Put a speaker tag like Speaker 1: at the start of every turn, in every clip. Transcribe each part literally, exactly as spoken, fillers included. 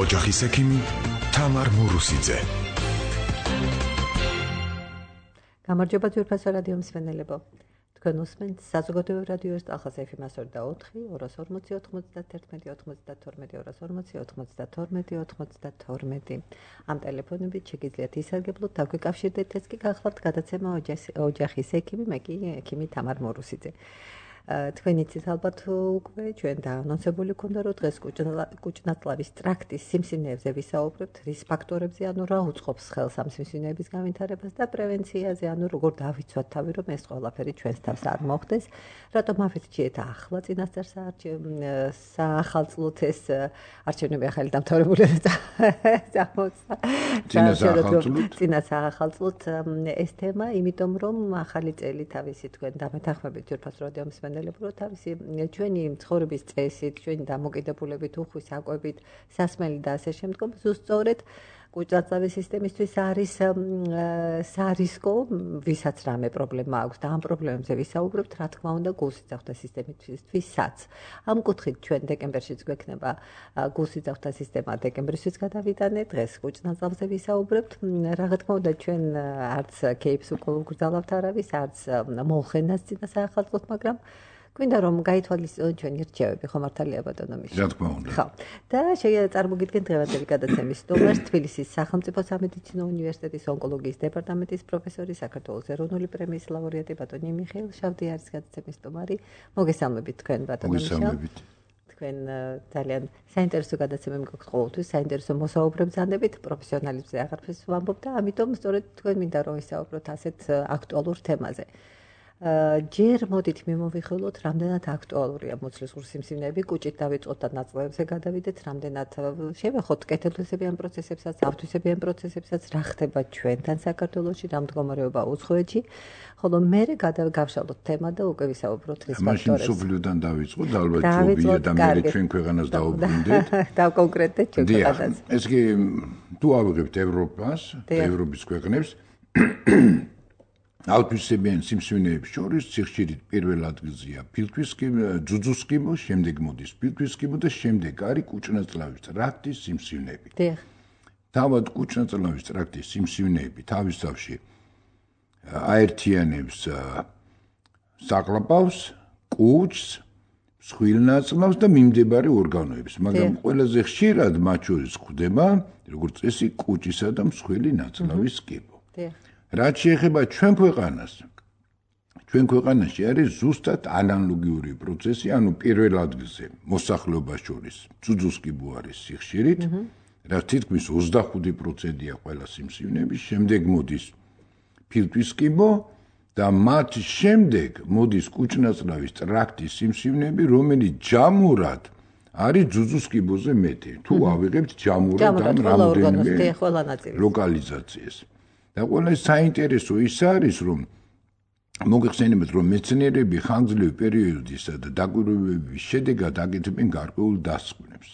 Speaker 1: ოჯახის ექიმი თამარ მურუსიძე.
Speaker 2: გამარჯობა ძვირფასო რადიო მსმენელებო. თქვენ უსმენთ საზოგადოებრივ რადიოს ახალ ეფ-ს ოცდაოთხი, ორას ორმოცი, ოთხმოცდათერთმეტი, ოცმოცდათორმეტი, ორას ორმოცი, ოთხმოცდათორმეტი, ოცმოცდათორმეტი. ამ ტელეფონებით შეგიძლიათ ისარგებლოთ, დაგვიკავშირდეთ, ეს კი გახლავთ გადაცემა ოჯახის ექიმი, მე კი ექიმი თამარ მურუსიძე. თქვენ იცით ალბათ უკვე ჩვენ დაანონსებული ქონდა რომ დღეს კუჭნაწლავის ტრაქტის სიმსივნეებზე ვისაუბრებთ, რის ფაქტორებზე, ანუ რა უწყობს ხელს ამ სიმსივნეების გავითარებას და პრევენციაზე, ანუ როგორ დავიცვათ თავი, რომ ეს ყველაფერი ჩვენს თავს არ მოხდეს. რატომ ავირჩიეთ ახლა წინასწარ საახალწლოდ ეს არჩევნები ახალი დამთავრებული წამოწა. წინა საახალწლოდ ეს თემა, იმიტომ რომ ახალი წელი თავისი თქვენ დამეთანხმებით ძვირფასო რადიო მსმენელებო, თავისი ჩვენი ცხოვრების წესით, ჩვენი დამოკიდებულებით, უხვის საკვებით, სასმელი და ასე შემდგომ, ზუსტად კუჭნაწლავის სისტემისთვის არის სარისკო, ვისაც რამე პრობლემა აქვს და ამ პრობლემებზე ვისაუბრებთ, რა თქმა უნდა, გულსიძახთა სისტემისთვისაც. ამ კუთხით ჩვენ დეკემბერშიც გვექნება გულსიძახთა სისტემა დეკემბრისთვის გადავიტანე, დღეს კუჭნაწლავზე ვისაუბრებთ. რა თქმა უნდა, ჩვენ არც кейფს უკუგრძალავთ არავის, არც მოხენას წინა საახალწლოდ, მაგრამ გვინდა რომ გაითვალისწინოთ ჩვენი რჩევები, ხო მართალია ბატონო მიშა?
Speaker 3: რა თქმა უნდა.
Speaker 2: ხო. და წარმოგიდგენთ დღევანდელი გადაცემის სტუმარს, თბილისის სახელმწიფო სამედიცინო უნივერსიტეტის ონკოლოგიის დეპარტამენტის პროფესორი, საქართველოს ეროვნული პრემიის ლაურეატი ბატონი მიხეილ შავდიარის გადაცემის სტუმარი. მოგესალმებით თქვენ ბატონო მიშა.
Speaker 3: მოგესალმებით.
Speaker 2: თქვენ ძალიან საინტერესო გადაცემები გქონთ ყოველთვის, საინტერესო მოსაუბრებს ზანდებით, პროფესიონალებზე აღარაფერს ვამბობ და ამიტომ სწორედ თქვენ მინდა რომ ვისაუბროთ ასეთ აქტუალურ თემაზე. ჯერ მოდით მიმოვიხილოთ, რამდენად აქტუალურია მოცლის სიმსივნეები, კუჭით დავიწყოთ და ნაწლავებზე გადავიდეთ, რამდენად შევეხოთ კეთილდღესებიან პროცესებსაც, ავთვისებიან პროცესებსაც, რა ხდება ჩვენთან საქართველოში, რა მდგომარეობა უცხოეთში, ხოლო მერე გადავგავშალოთ თემა და უკვე ვისაუბროთ რის ფაქტორებზე.
Speaker 3: მაშინ სოფლიოდან დავიწყოთ, ალბათ ჯობია და მერე ჩვენ ქვეყანას დავუბრუნდეთ.
Speaker 2: დავკონკრეტდეთ ჩვენ ქვეყანას.
Speaker 3: ეს კი თუ ავიღებთ ევროპას, ევროპის ქვეყნებს ავთვისებიან სიმსივნეებს შორის სიხშირით პირველ ადგილზეა ფილტვისკიბო, ძუძუსკიბო, შემდეგ მოდის ფილტვისკიბო და შემდეგ არის კუჭნაწლავის ტრაქტის სიმსივნეები.
Speaker 2: დიახ.
Speaker 3: თავად კუჭნაწლავის ტრაქტის სიმსივნეები თავისთავში აერთიანებს საყლაპავს, კუჭს, მსხვილნაწლავს და მიმდებარე ორგანოებს, მაგრამ ყველაზე ხშირად მათ შორის გვხვდება, როგორც წესი, კუჭისა და მსხვილი ნაწლავის კიბო.
Speaker 2: დიახ.
Speaker 3: რაც შეეხება ჩვენ ქვეყანას, ჩვენ ქვეყანაში არის ზუსტად ანალოგიური პროცესი, ანუ პირველ ადგილზე მოსახლეობას შორის ძუძუსკიბო არის სიხშირით, რაც თითქმის ოცდახუთი პროცენტია ყველა სიმსივნეების, შემდეგ მოდის ფილტვისკიბო და მათ შემდეგ მოდის კუჭნაწლავის ტრაქტის სიმსივნეები, რომელიც ჯამურად არის ძუძუსკიბოზე მეტი. თუ ავიღებთ ჯამურად ამ რამოდენიმე ლოკალიზაციას. და ყველა საინტერესო ის არის, რომ მოგეხსენებათ, რომ მეცნიერები ხანგრძლივი პერიოდისა და დაკვირვებების შედეგად აკეთებენ გარკვეულ დასკვნებს.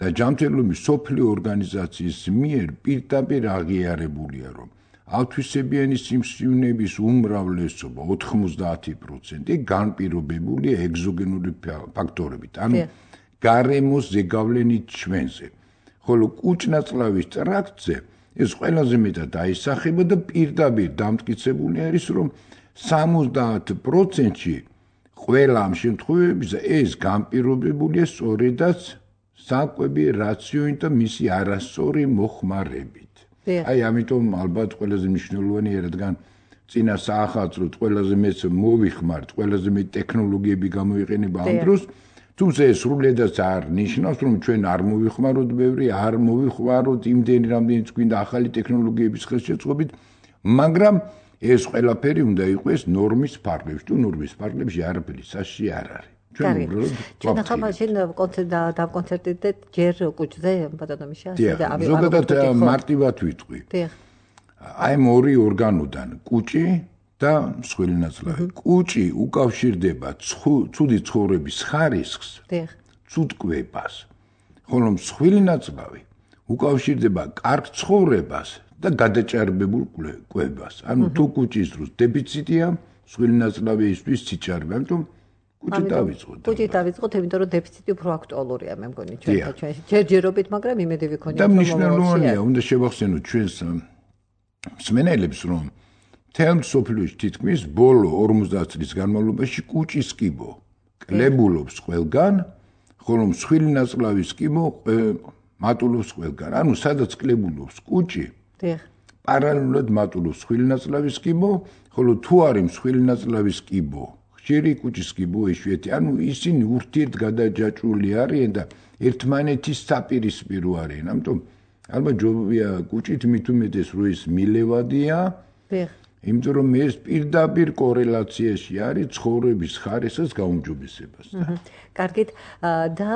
Speaker 3: და ჯანმრთელობის მსოფლიო ორგანიზაციის მიერ პირდაპირ აღიარებულია, რომ ავთვისებიანი სიმსივნეების უმრავლესობა ოთხმოცდაათი პროცენტი განპირობებულია ეგზოგენური ფაქტორებით, ანუ გარემოს ზეგავლენით ჩვენზე. ხოლო კუჭნაწლავის ტრაქტზე ეს ყველაზე მეტად აისახება და პირდაპირ დამტკიცებული არის, რომ სამოცდაათ პროცენტში ყველა ამ შემთხვევებში ეს განპირობებულია სწორედაც საკვები რაციონით და მისი არასწორი მოხმარებით. აი ამიტომ ალბათ ყველაზე მნიშვნელოვანია, რადგან წინა საახალწლოდ ყველაზე მეც მოვიხმართ, ყველაზე მეტ ტექნოლოგიები გამოიყენება ამ დროს, თუმცა ეს სრულიადაც არ ნიშნავს, რომ ჩვენ არ მოვიხმაროთ ბევრი, არ მოვიხმაროთ იმდენი, რამდენიც გვინდა ახალი ტექნოლოგიების ხელშეწყობით, მაგრამ ეს ყველაფერი უნდა იყოს ნორმის ფარგლებში. თუ ნორმის ფარგლებში არაფერი საშიში არ არის. ჩვენ უბრალოდ
Speaker 2: ჩვენ ახლა მაშინ დავკონცერტდეთ ჯერ კუჭზე, ბატონო მიშა,
Speaker 3: და ავიღოთ. ზოგადად მარტივად ვიტყვი.
Speaker 2: დიახ.
Speaker 3: აი ამ ორი ორგანოდან კუჭი და მსხვილი ნაწლავი. კუჭი უკავშირდება ცუდი ცხოვრების ხარისხს, ცუდკვებას, ხოლო მსხვილი ნაწლავი უკავშირდება კარგ ცხოვრებას და გადაჭარბებულ კვებას. ანუ თუ კუჭის დროს დეფიციტია, მსხვილი ნაწლავი ისთვის სიჩარბე, ამიტომ კუჭი დავიწყოთ.
Speaker 2: კუჭი დავიწყოთ, იმიტომ რომ დეფიციტი უფრო აქტუალურია, მე მგონი ჩვენთან ჩვენში. ჯერჯერობით, მაგრამ იმედი ვიქონია,
Speaker 3: რომ მნიშვნელოვანია, უნდა შევახსენოთ ჩვენს მსმენელებს, რომ მთელ მსოფლიოში თითქმის ბოლო ორმოცდაათ წლის განმავლობაში კუჭის კიბო კლებულობს ყველგან, ხოლო მსხვილი ნაწლავის კიბო მატულობს ყველგან. ანუ სადაც კლებულობს კუჭი, პარალელურად მატულობს მსხვილი ნაწლავის კიბო, ხოლო თუ არის მსხვილი ნაწლავის კიბო, ხშირი კუჭის კიბო იშვიათი, ანუ ისინი ურთიერთგადაჯაჭვული არიან და ერთმანეთის საპირისპირო არიან. ამიტომ ალბათ ჯობია კუჭით მით უმეტეს რო ის მილევადია. იმიტომ რომ ეს პირდაპირ კორელაციაში არის ცხოვრების ხარისხის გაუმჯობესებასთან.
Speaker 2: კარგით, და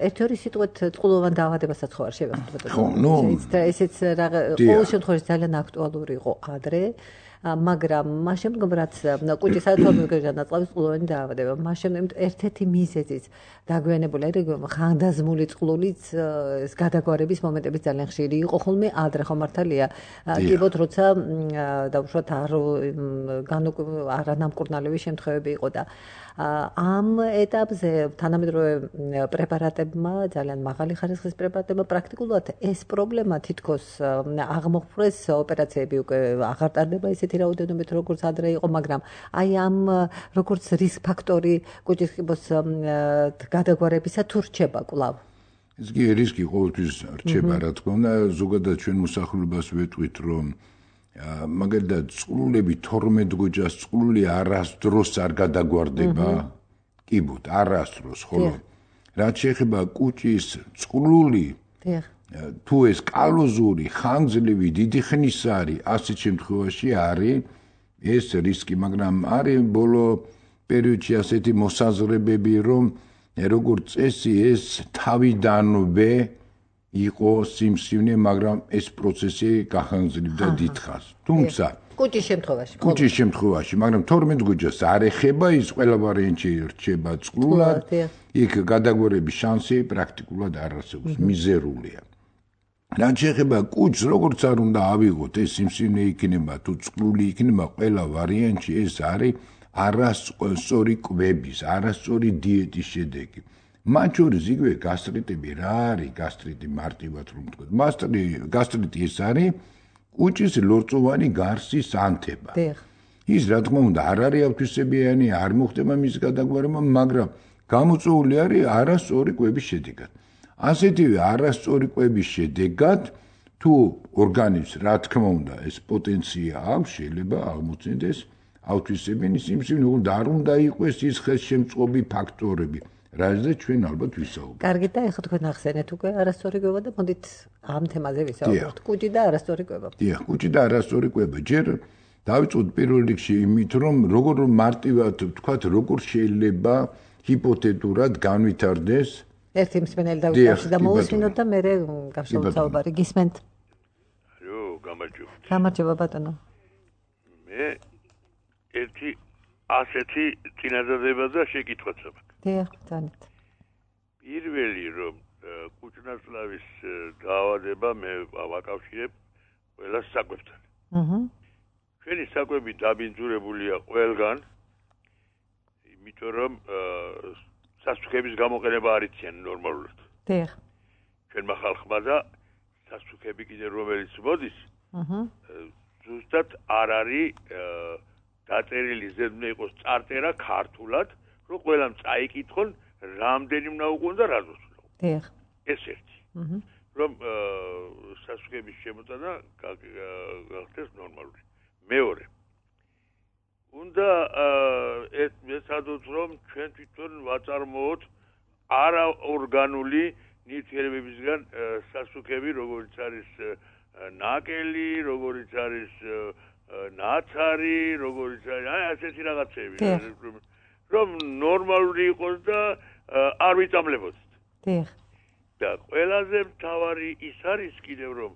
Speaker 2: ერთ-ორი სიტყვით წყლოვან დაავადებასაც ხო არ შევეხოთ.
Speaker 3: ხო, ნუ
Speaker 2: ესეც ყოველ შემთხვევაში ძალიან აქტუალური იყო ადრე. მაგრამ მას შემდგომ რაც კუჭის საერთოდ ნაწლავის წყლოვანი დაავადება, მას შემდგომ ერთ-ერთი მიზეზიც დაგვიანებული რეგიონი ხანდაზმული წყლულიც გადაგვარების მომენტები ძალიან ხშირი იყო ხოლმე ადრე ხო მართალია კიბოთ როცა დაუშვათ არ არანამკურნალების შემთხვევები იყო და ამ ეტაპზე თანამედროვე პრეპარატებმა ძალიან მაღალი ხარისხის პრეპარატებმა პრაქტიკულად ეს პრობლემა თითქოს აღმოფხვრეს ოპერაციები უკვე აღარ ტარდება ისეთი რაოდენობით როგორც ადრე იყო მაგრამ აი ამ როგორც რისკ ფაქტორი კუჭის კიბოს გადაგვარებისა თუ რჩება კვლავ
Speaker 3: ეს კი რისკი ყოველთვის რჩება რა თქმა უნდა ზოგადად ჩვენ მოსახლეობას ვეტყვით რომ მაგალითად წყლულები თორმეტ გოჯას წყლული არასდროს არ გადაგვარდება კიბოთ არასდროს ხოლო რაც შეეხება კუჭის წყლული თუ ეს კალოზური ხანგრძლივი დიდი ხნის არის ასეთ შემთხვევაში არის ეს რისკი მაგრამ არის ბოლო პერიოდში ასეთი მოსაზრებები რომ როგორც წესი ეს თავიდანვე იყო სიმსივნე, მაგრამ ეს პროცესი გახანგრძლივდა დიდხანს. თუმცა
Speaker 2: კუჭის შემთხვევაში,
Speaker 3: კუჭის შემთხვევაში, მაგრამ თორმეტ გოჯას არ ეხება ის ყველა ვარიანტი რჩება წყლულად, იქ გადაგვარების შანსი პრაქტიკულად არ არსებობს, მიზერულია. რაც შეეხება კუჭს, როგორც არ უნდა ავიღოთ, ეს სიმსივნე იქნება თუ წყლული იქნება, ყველა ვარიანტი ეს არის არასწორი კვების, არასწორი დიეტის შედეგი. მათ შორის იგივე გასტრიტები რა არის გასტრიტი მარტივად რომ ვთქვათ მასტრი გასტრიტი ეს არის კუჭის ლორწოვანი გარსის ანთება ის რა თქმა უნდა არ არის ავთვისებიანი არ მოხდება მის გადაგვარება მაგრამ გამოწვეული არის არასწორი კვების შედეგად ასეთივე არასწორი კვების შედეგად თუ ორგანიზმს რა თქმა უნდა ეს პოტენცია აქვს შეიძლება აღმოჩნდეს ავთვისებიანი სიმსივნე და არ უნდა იყოს ის ხელშემწყობი ფაქტორები რაზეც ჩვენ ალბათ ვისაუბრებთ.
Speaker 2: კარგი და ეხლა თქვენ ახსენეთ უკვე არასწორი კვება და მოდით ამ თემაზე ვისაუბროთ. კუჭი და არასწორი კვება.
Speaker 3: დიახ, კუჭი და არასწორი კვება. ჯერ დავიწყოთ პირველ რიგში იმით, რომ როგორ მარტივად ვთქვათ, როგორ შეიძლება ჰიპოთეტურად განვითარდეს
Speaker 2: ერთი მსმენელი დავიწყოთ და მოусმინოთ და მე გავშალოთ საუბარი. გისმენთ?
Speaker 4: այո, გამარჯობა.
Speaker 2: გამარჯობა ბატონო.
Speaker 4: მე ერთი ასეთი წინადადება და შეკითხვაც აქვს.
Speaker 2: დიახ, თანით.
Speaker 4: პირველი რომ კუჭნაწლავის დაავადება მე ვაკავშირებ ყველა საკვებთან.
Speaker 2: აჰა.
Speaker 4: ჩვენი საკვები დაბინძურებულია ყველგან, იმიტომ რომ სასუქების გამოყენება არ იციან ნორმალურად.
Speaker 2: დიახ.
Speaker 4: ჩვენმა ხალხმა და სასუქები კიდე რომელიც მოდის,
Speaker 2: აჰა.
Speaker 4: ზუსტად არ არის დაწერილი ზედმე იყოს წარწერა ქართულად რომ ყველამ წაიკითხონ რამდენი უნდა უყონ და რაზოს უნდა უყონ.
Speaker 2: დიახ.
Speaker 4: ეს ერთი. აჰა. რომ სასუქების შემოტანა გახდეს ნორმალური. მეორე. უნდა ეს მეცადოთ რომ ჩვენ თვითონ ვაწარმოოთ არაორგანული ნივთიერებებისგან სასუქები, როგორც არის ნაკელი, როგორც არის ნაცარი, როგორც არის აი ასეთი რაღაცები. რომ ნორმალური იყოს და არ ვიწამლებოდეთ.
Speaker 2: დიახ.
Speaker 4: და ყველაზე მთავარი ის არის კიდევ რომ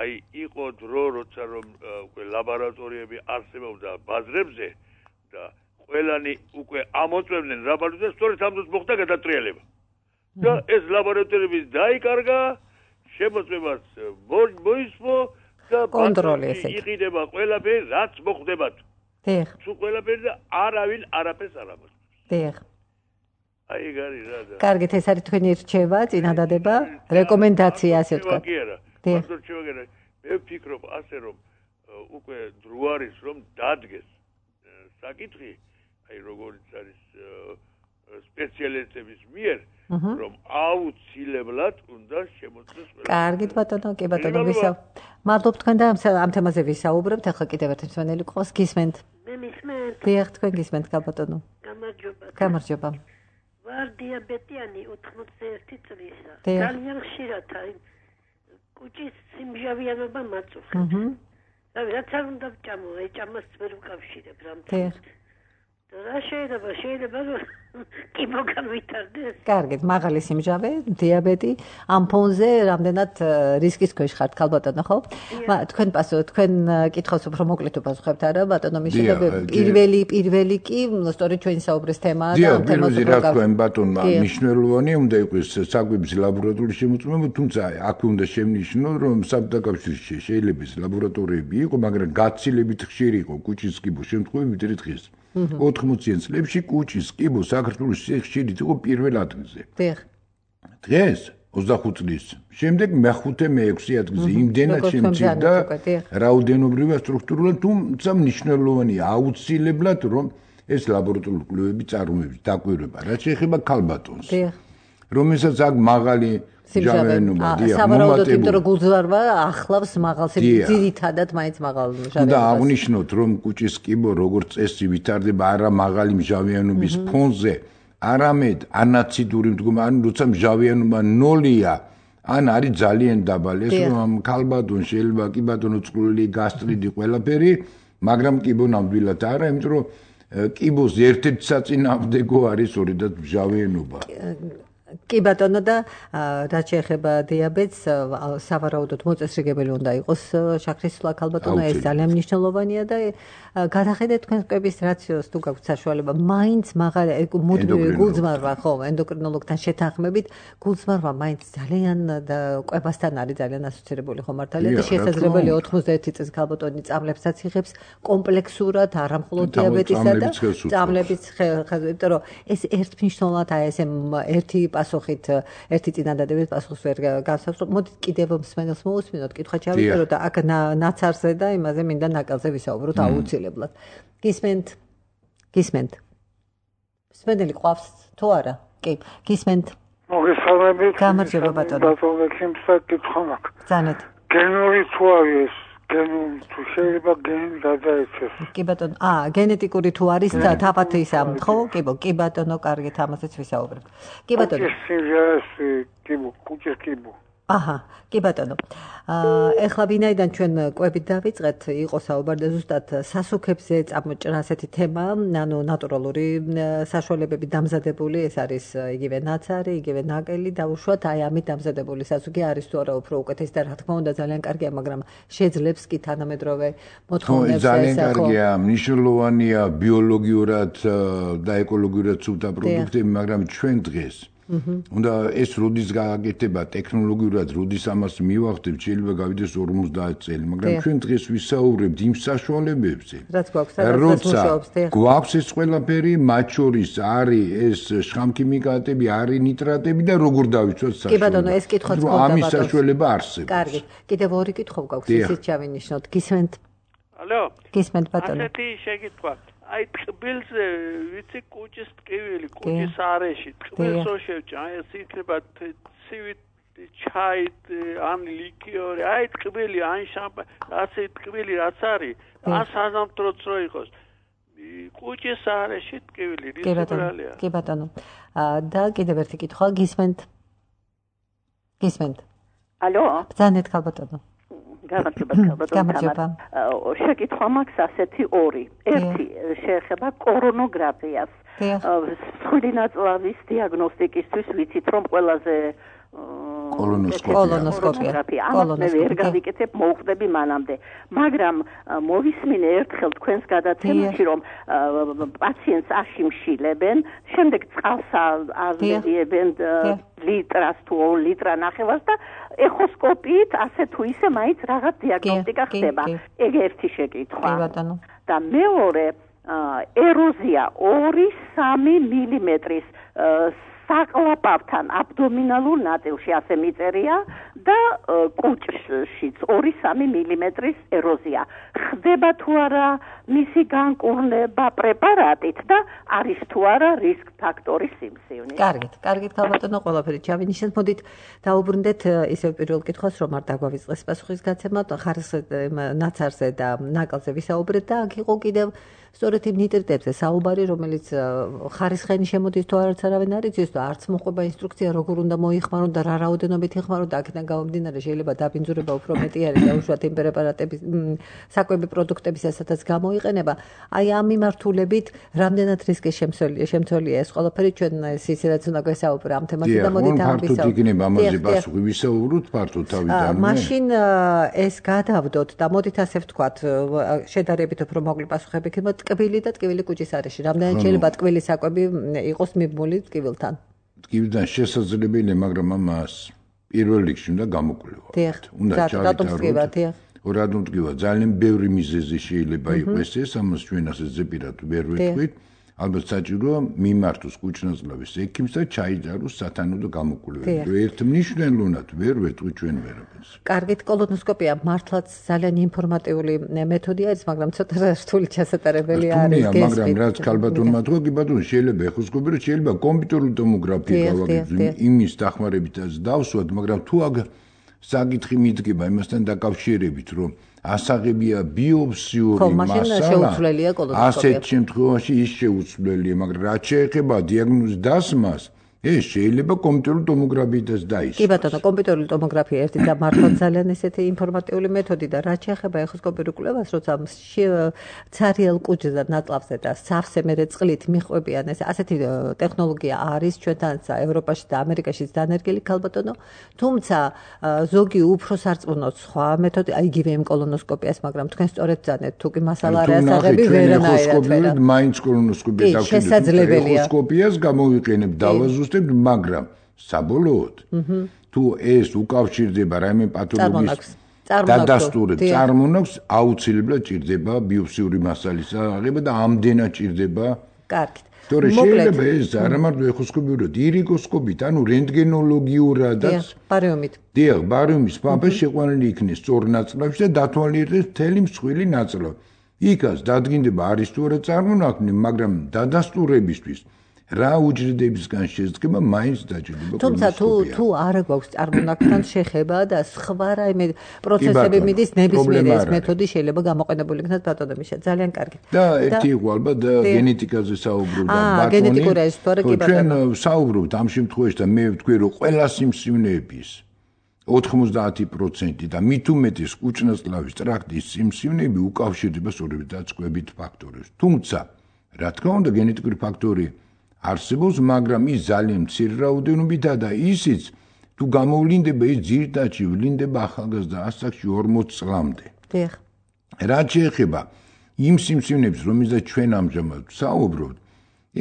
Speaker 4: აი იყო დრო როცა რომ უკვე ლაბორატორიები არსებობდა ბაზრებზე და ყველანი უკვე ამოწმებდნენ რაბალს და სწორედ ამ დროს მოხდა გადატრიალება. და ეს ლაბორატორიები დაიკარგა, შემოწმებას მოისმო და
Speaker 2: კონტროლი ესე
Speaker 4: იყიდება ყველაფერი რაც მოხდებათ.
Speaker 2: დიახ.
Speaker 4: თუ ყველაფერი და არავინ არაფერს არ ამოწმებს.
Speaker 2: დიახ.
Speaker 4: აი გარი რა და
Speaker 2: კარგით ეს არის თქვენი რჩევა წინადადება რეკომენდაცია ასე ვთქვა
Speaker 4: კი არა მარტო რჩევა კი არა მე ვფიქრობ ასე რომ უკვე დრო არის რომ დადგეს საკითხი აი როგორც არის სპეციალისტების მიერ რომ აუცილებლად უნდა შემოწმდეს ყველა.
Speaker 2: კარგით ბატონო, კი ბატონო, ვისაუბრებთ. მადლობ თქვენ და ამ თემაზე ვისაუბრებთ. ახლა კიდევ ერთი მსმენელი ყავს, გისმენთ?
Speaker 5: მე მისმენთ.
Speaker 2: დიახ, თქვენ გისმენთ, ბატონო.
Speaker 5: გამარჯობა.
Speaker 2: გამარჯობა.
Speaker 5: ვარ დიაბეტიანი ოთხმოცდაერთი წლისა.
Speaker 2: დიახ.
Speaker 5: ძალიან ხშირად აი კუჭის სიმჟავიანობა მაწუხებს.
Speaker 2: აჰა.
Speaker 5: და რაც არ უნდა ვჭამო, აი ჭამას ვერ ვკავშირებ რამე.
Speaker 2: დიახ.
Speaker 5: რა შეიძლება შეიძლება კი მოგავითარდეს.
Speaker 2: კარგით, მაღალი სიმჟავე, დიაბეტი, ამ ფონზე რამდენად რისკის ქვეშ ხართ, ხალბატონო, ხო? თქვენ პასუხ, თქვენ კითხავს უფრო მოკლედ უპასუხებთ არა, ბატონო მიშელა, პირველი პირველი კი, სწორედ ჩვენი საუბრის თემაა
Speaker 3: და ამ თემაზე რა თქვენ ბატონმა მნიშვნელოვანი უნდა იყოს საკვების ლაბორატორიის შემოწმება, თუმცა აქ უნდა შემნიშნო, რომ საბდაკავშირში შეიძლება ეს ლაბორატორიები იყო, მაგრამ გაცილებით ხშირი იყო კუჭის კიბოს შემთხვევები დღეს. ოთხმოციან წლებში კუჭის კიბო საქართველოს ხშირით იყო პირველ ადგილზე.
Speaker 2: დიახ.
Speaker 3: დღეს ოცდახუთ წლის შემდეგ მეხუთე მეექვსე ადგილზე იმდენად შემცირდა რაოდენობრივად სტრუქტურულად, თუმცა მნიშვნელოვანია აუცილებლად რომ ეს ლაბორატორიული კვლევები წარმოების დაკვირვება, რაც შეეხება ქალბატონს.
Speaker 2: დიახ.
Speaker 3: რომელსაც აქ მაღალი ჟავიანობა დიახ
Speaker 2: სავარაუდოდ იმიტომ რომ გულძვარვა ახლავს მაღალ ძირითადად მაინც მაღალ ჟავიანობას.
Speaker 3: და აღნიშნოთ რომ კუჭის კიბო როგორც წესი ვითარდება არა მაღალი ჟავიანობის ფონზე, არამედ ანაციდური მდგომარეობა, ანუ როცა ჟავიანობა ნოლია, ან არის ძალიან დაბალი. ეს რომ ქალბატონს შეიძლება კი ბატონო წყლული გასტრიტი ყველაფერი, მაგრამ კიბო ნამდვილად არა, იმიტომ რომ კიბოს ერთ-ერთი საწინააღმდეგო არის ორედად ჟავიანობა.
Speaker 2: კი ბატონო და რაც შეეხება დიაბეტს, სავარაუდოდ მოწესრიგებელი უნდა იყოს შაქრის სვლა ქალბატონო, ეს ძალიან მნიშვნელოვანია და გადახედეთ თქვენ კვების რაციოს თუ გაქვთ საშუალება, მაინც მაღალი მუდმივი გულძმარვა, ხო, ენდოკრინოლოგთან შეთანხმებით, გულძმარვა მაინც ძალიან და კვებასთან არის ძალიან ასოცირებული ხო მართალია და შესაძლებელი ოთხმოცდაერთი წლის ქალბატონი წამლებსაც იღებს კომპლექსურად, არა მხოლოდ დიაბეტისა და წამლების ხელ, იმიტომ რომ ეს ერთმნიშვნელოვნად აი ესე ერთი პასუხით ერთი წინადადების პასუხს ვერ გავსავს. მოდით კიდევ მსმენელს მოусმინოთ, კითხვა ჩავიწეროთ და აქ ნაცარზე და იმაზე მინდა ნაკალზე ვისაუბროთ აუცილებლად. გისმენთ? გისმენთ? მსმენელი ყავს თუ არა? კი, გისმენთ?
Speaker 6: მოგესალმებით.
Speaker 2: გამარჯობა ბატონო.
Speaker 6: ბატონო კითხვა კითხვა მაქვს.
Speaker 2: ბრძანეთ.
Speaker 6: გენური თუ არის გენური თუ შეიძლება გენი გადაეცეს.
Speaker 2: კი ბატონო, აა გენეტიკური თუ არის თავად ისა, ხო? კი ბო, კი ბატონო, კარგით, ამასაც ვისაუბრებ. კი ბატონო.
Speaker 6: კიბო, კუჭის კიბო.
Speaker 2: აჰა, კი ბატონო. აა ეხლა ვინაიდან ჩვენ კვებით დავიწყეთ, იყო საუბარი ზუსტად სასუქებზე წამოჭრა ასეთი თემა, ანუ ნატურალური საშუალებები დამზადებული, ეს არის იგივე ნაცარი, იგივე ნაკელი და უშუალოდ აი ამით დამზადებული სასუქი არის თუ არა უფრო უკეთესი და რა თქმა უნდა ძალიან კარგია, მაგრამ შეძლებს კი თანამედროვე მოთხოვნებს
Speaker 3: ეს ძალიან კარგია, მნიშვნელოვანია ბიოლოგიურად და ეკოლოგიურად სუფთა პროდუქტები, მაგრამ ჩვენ დღეს უნდა ეს როდის გააკეთება ტექნოლოგიურად, როდის ამას მივახდებ, შეიძლება გავიდეს ორმოცდაათი წელი, მაგრამ ჩვენ დღეს ვისაუბრებთ იმ საშუალებებზე,
Speaker 2: რაც გვაქვს, როცა
Speaker 3: გვაქვს ეს ყველაფერი, მათ შორის არის ეს შხამქიმიკატები, არის ნიტრატები და როგორ დავიცვათ საშუალებას.
Speaker 2: კი ბატონო, ეს კითხვაც გქონდა
Speaker 3: ამის საშუალება არსებობს.
Speaker 2: კარგი, კიდევ ორი კითხვა გვაქვს, ისიც ჩავინიშნოთ. გისმენთ?
Speaker 7: ალო?
Speaker 2: გისმენთ ბატონო.
Speaker 7: ასეთი შეკითხვა. აი ტყბილზე ვიცი კუჭის ტკივილი, კუჭის არეში, ტყბილს რო შევჭა, ეს იქნება ცივი ჩაით, ან ლიქიორი, აი ტკბილი, ან შამპანი, ასე ტკბილი რაც არის, ან საზამთროც რო იყოს. კუჭის არეში ტკივილი, რისუბრალია.
Speaker 2: კი ბატონო. და კიდევ ერთი კითხვა, გისმენთ? გისმენთ?
Speaker 8: ალო?
Speaker 2: ბრძანეთ ხალბატონო.
Speaker 8: გამარჯობა ხალბატონო. შეკითხვა მაქვს ასეთი ორი. ერთი შეეხება კორონოგრაფიას. მსხვილი ნაწლავის დიაგნოსტიკისთვის ვიცით რომ ყველაზე
Speaker 2: კოლონოსკოპია.
Speaker 8: ამას ვერ გავიკეთებ, მოვხდები მანამდე. მაგრამ მოვისმინე ერთხელ თქვენს გადაცემაში, რომ პაციენტს აშიმშილებენ, შემდეგ წყალს აზრიებენ ლიტრას თუ ორ ლიტრა ნახევარს და ეხოსკოპიით ასე თუ ისე მაინც რაღაც დიაგნოსტიკა ხდება. ეგ ერთი შეკითხვა. და მეორე ეროზია ორი სამი მილიმეტრის საკლაპავთან აბდომინალურ ნაწილში ასე მიწერია და კუჭშიც ორი სამი მილიმეტრის ეროზია. ხდება თუ არა მისი განკურნება პრეპარატით და არის თუ არა რისკ ფაქტორის სიმსივნე.
Speaker 2: კარგით, კარგით, ქალბატონო, ყველაფერი ჩავინიშნეთ. მოდით დაუბრუნდეთ ისევ პირველ კითხვას, რომ არ დაგვავიწყეს პასუხისგაცემა, ხარისხზე, ნაცარზე და ნაკალზე ვისაუბრეთ და აქ იყო კიდევ სწორედ იმ ნიტრიტებზე საუბარი, რომელიც ხარისხენი შემოდის თუ არც არავინ არ იცის და არც მოყვება ინსტრუქცია როგორ უნდა მოიხმარონ და რა რაოდენობით იხმარონ და აქედან გამომდინარე შეიძლება დაბინძურება უფრო მეტი არის და უშუალოდ იმ პრეპარატების საკვები პროდუქტების ასათაც გამოიყენება. აი ამ მიმართულებით რამდენად რისკის შემცველია ეს ყველაფერი ჩვენ ისიც რაც უნდა გვესაუბრო ამ თემაზე და მოდით ამ
Speaker 3: ვისაუბროთ. ფართოდ იქნება ამაზე პასუხი, ვისაუბროთ ფართოდ თავიდანვე.
Speaker 2: მაშინ ეს გადავდოთ და მოდით ასე ვთქვათ, შედარებით უფრო მოკლე პასუხები იქნება ტკბილი და ტკბილი კუჭის არეში. რამდენად შეიძლება ტკბილი საკვები იყოს მიბმული ტკბილთან?
Speaker 3: ტკბილთან შესაძლებელია, მაგრამ ამას პირველ რიგში უნდა გამოკვლევა. უნდა ჩავიტაროთ. რატომ ტკბილა? ძალიან ბევრი მიზეზი შეიძლება იყოს ეს, ამას ჩვენ ასე ზეპირად ვერ ვეთქვით. ალბათ საჭიროა მიმართოს კუჭნაწლავის ექიმს და ჩაიჯაროს სათანადო გამოკვლევები. ერთმნიშვნელოვნად ვერ ვეთქვით ჩვენ ვერაფერს.
Speaker 2: კარგით, კოლონოსკოპია მართლაც ძალიან ინფორმატიული მეთოდია ის, მაგრამ ცოტა რთული ჩასატარებელი არის
Speaker 3: გესმით. მაგრამ რაც ქალბატონმა თქვა, კი ბატონო, შეიძლება ეხოსკოპი, რომ შეიძლება კომპიუტერული ტომოგრაფია გავაკეთოთ, იმის დახმარებითაც დავსვათ, მაგრამ თუ აგ საკითხი მიდგება იმასთან დაკავშირებით, რომ ასაღებია ბიოპსიური მასალა, ასეთ შემთხვევაში ის შეუცვლელია, მაგრამ რაც შეეხება დიაგნოზის დასმას, ეს შეიძლება კომპიუტერული ტომოგრაფიითაც დაისვას.
Speaker 2: კი ბატონო, კომპიუტერული ტომოგრაფია ერთი და მართლაც ძალიან ესეთი ინფორმატიული მეთოდი და რაც შეეხება ეხოსკოპიურ კვლევას, როცა ცარიელ კუჭზე და ნაწლავზე და სავსე მერე წყლით მიხვებიან, ეს ასეთი ტექნოლოგია არის ჩვენთანაც ევროპაში და ამერიკაშიც დანერგილი ქალბატონო, თუმცა ზოგი უფრო სარწმუნოა სხვა მეთოდი, აი იგივე იმ კოლონოსკოპიას, მაგრამ თქვენ სწორედ ბრძანეთ, თუ კი მასალა არ ასაღები ვერანაირად ვერა.
Speaker 3: მაინც კოლონოსკოპია დავჭირდება. ეხოსკოპიას გამოვიყენებ დავაზუსტებ, მაგრამ საბოლოოდ თუ ეს უკავშირდება რაიმე პათოლოგიის დადასტურებ წარმონაქვს, აუცილებლად ჭირდება ბიოპსიური მასალის აღება და ამდენად ჭირდება.
Speaker 2: კარგით.
Speaker 3: თორე შეიძლება ეს არა მარტო ეხოსკოპიურად, ირიგოსკოპით, ანუ რენტგენოლოგიურადაც.
Speaker 2: ბარიუმით.
Speaker 3: დიახ, ბარიუმის პამპა შეყვანილი იქნეს სწორ ნაწლავში და დათვალიერდეს მთელი მსხვილი ნაწლავი. იქაც დადგინდება არის თუ არა წარმონაქმნი, მაგრამ დადასტურებისთვის რა უჯრედებისგან შედგება მაინც დაჭირდება.
Speaker 2: თუმცა თუ თუ არ გვაქვს წარმონაქმნთან შეხება და სხვა რაიმე პროცესები მიდის ნებისმიერი ეს მეთოდი შეიძლება გამოყენებული იქნას ბატონო მიშა. ძალიან კარგი.
Speaker 3: და ერთი იყო ალბათ გენეტიკაზე საუბრობდა ბატონი.
Speaker 2: აა გენეტიკური ეს თორე კი ბატონო.
Speaker 3: ჩვენ საუბრობთ ამ შემთხვევაში და მე ვთქვი რომ ყველა სიმსივნეების ოთხმოცდაათი პროცენტი და მით უმეტეს კუჭნაწლავის ტრაქტის სიმსივნეები უკავშირდება სწორედ დაწყვებით ფაქტორებს. თუმცა რა თქმა უნდა გენეტიკური ფაქტორი არსებობს, მაგრამ ის ძალიან მცირე რაოდენობითაა და ისიც თუ გამოვლინდება, ის ძირითადში ვლინდება ახალგაზრდა ასაკში ორმოც წლამდე.
Speaker 2: დიახ.
Speaker 3: რაც შეეხება იმ სიმსივნეებს, რომელზეც ჩვენ ამჟამად საუბრობთ,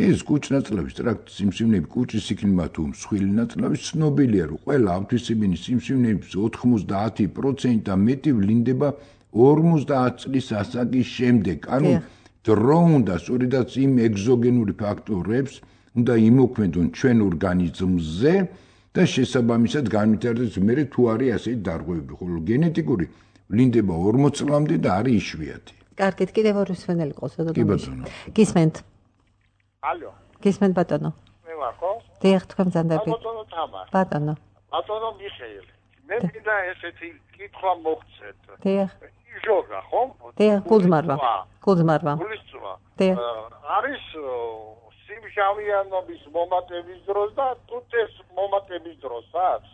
Speaker 3: ეს კუჭნაწლავის ტრაქტის სიმსივნეები, კუჭის იქნება თუ მსხვილი ნაწლავის, ცნობილია, რომ ყველა ავთვისებიანი სიმსივნეების ოთხმოცდაათი პროცენტი და მეტი ვლინდება ორმოცდაათი წლის ასაკის შემდეგ. ანუ დრო უნდა სწორედაც იმ ეგზოგენური ფაქტორებს უნდა იმოქმედონ ჩვენ ორგანიზმზე და შესაბამისად განვითარდეს მერე თუ არის ასეთი დარღვევები, ხოლო გენეტიკური ვლინდება ორმოც წლამდე და არის იშვიათი.
Speaker 2: კარგით, კიდევ ორი მსმენელი ყავს და
Speaker 3: კი ბატონო.
Speaker 2: გისმენთ.
Speaker 9: ალო.
Speaker 2: გისმენთ ბატონო.
Speaker 9: მე ვარ ხო?
Speaker 2: დიახ, თქვენ ბრძანდებით.
Speaker 9: ბატონო თამარ.
Speaker 2: ბატონო.
Speaker 9: ბატონო მიხეილ. მე მინდა ესეთი კითხვა მოგცეთ.
Speaker 2: დიახ.
Speaker 9: ჟოგა ხო?
Speaker 2: დიახ, გულძმარვა. გულძმარვა.
Speaker 9: გულისწვლა.
Speaker 2: დიახ.
Speaker 9: არის სიმშავიანობის მომატების დროს და თუთეს მომატების დროსაც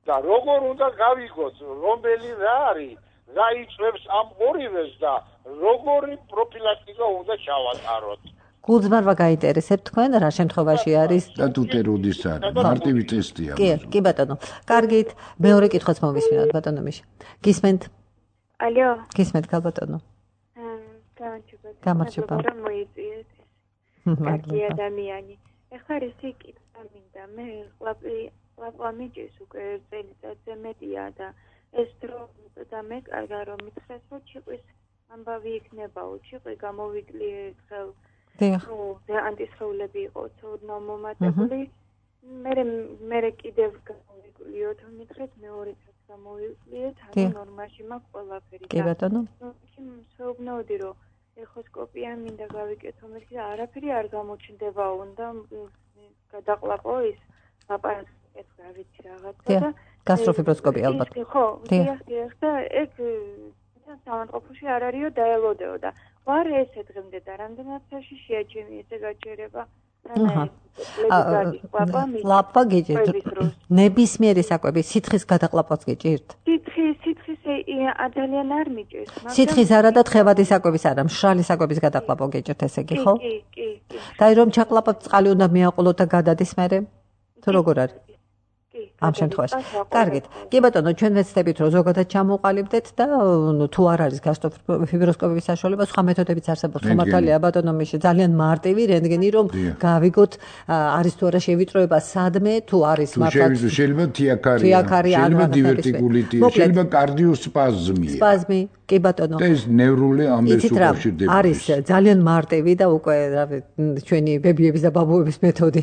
Speaker 9: და როგორ უნდა გავიგოთ, რომელი რა არის, რა იწვევს ამ ორივეს და როგორი პროფილაქტიკა უნდა ჩავატაროთ.
Speaker 2: გულძმარვა გაინტერესებთ თქვენ რა შემთხვევაში არის?
Speaker 3: და თუთე როდის არის? მარტივი ტესტია.
Speaker 2: კი, კი ბატონო. კარგით, მეორე კითხვაც მოვისმინოთ ბატონო მიშა. გისმენთ?
Speaker 10: ალო.
Speaker 2: გისმენთ ქალბატონო.
Speaker 10: გამარჯობა.
Speaker 2: გამარჯობა.
Speaker 10: რომ მოიწიეთ. კარგი ადამიანი. ეხლა რისი კითხვა მინდა? მე ყლაპი ყლაპა მიჭის უკვე წელიწადზე მეტია და ეს დრო და მე კარგა რომ მითხრეს რომ ჩიყვის ამბავი იქნებაო, ჩიყვი გამოვიკლი ხელ ნუ ანტისხეულები იყო ცოდნა მომატებული. მე მე კიდევ გამოვიკვლიოთ მითხრეთ მეორეც გამოვიკვლიეთ, ანუ ნორმაში მაქვს ყველაფერი.
Speaker 2: კი ბატონო.
Speaker 10: კი მსეუბნაოდი რომ ეხოსკოპია მინდა გავიკეთო, მე და არაფერი არ გამოჩნდება, უნდა გადაყლაპო ის აპარატი ეს რა ვიცი რაღაცა და
Speaker 2: გასტროფიბროსკოპია ალბათ.
Speaker 10: ხო, დიახ, დიახ და ეგ სამანყოფოში არ არისო დაელოდეო და ვარ ესე დღემდე და რამდენად საშიშია ჩემი ესე გაჩერება.
Speaker 2: ლაპა გიჭირთ. ნებისმიერი საკვები სითხის გადაყლაპვაც გიჭირთ?
Speaker 10: სითხის, სითხის ძალიან არ მიჭირს,
Speaker 2: მაგრამ სითხის არა და თხევადი საკვების არა, მშრალი საკვების გადაყლაპვა გიჭირთ ესე იგი, ხო?
Speaker 10: კი, კი, კი.
Speaker 2: და რომ ჩაყლაპავთ წყალი უნდა მიაყოლოთ და გადადის მერე? თუ როგორ არის? ამ შემთხვევაში. კარგით. კი ბატონო, ჩვენ ვეცდებით რომ ზოგადად ჩამოყალიბდეთ და თუ არ არის გასტროფიბროსკოპიის საშუალება, სხვა მეთოდებიც არსებობს. ხო მართალია ბატონო, მიშე ძალიან მარტივი რენტგენი რომ გავიგოთ არის თუ არა შევიწროება სადმე, თუ არის
Speaker 3: მართლა. შეიძლება თიაქარია, შეიძლება დივერტიკულიტია, შეიძლება კარდიოსპაზმია.
Speaker 2: სპაზმი, კი ბატონო.
Speaker 3: ეს ნევრული ამბებს უკავშირდება.
Speaker 2: არის ძალიან მარტივი და უკვე რავი ჩვენი ბებიების და ბაბუების მეთოდი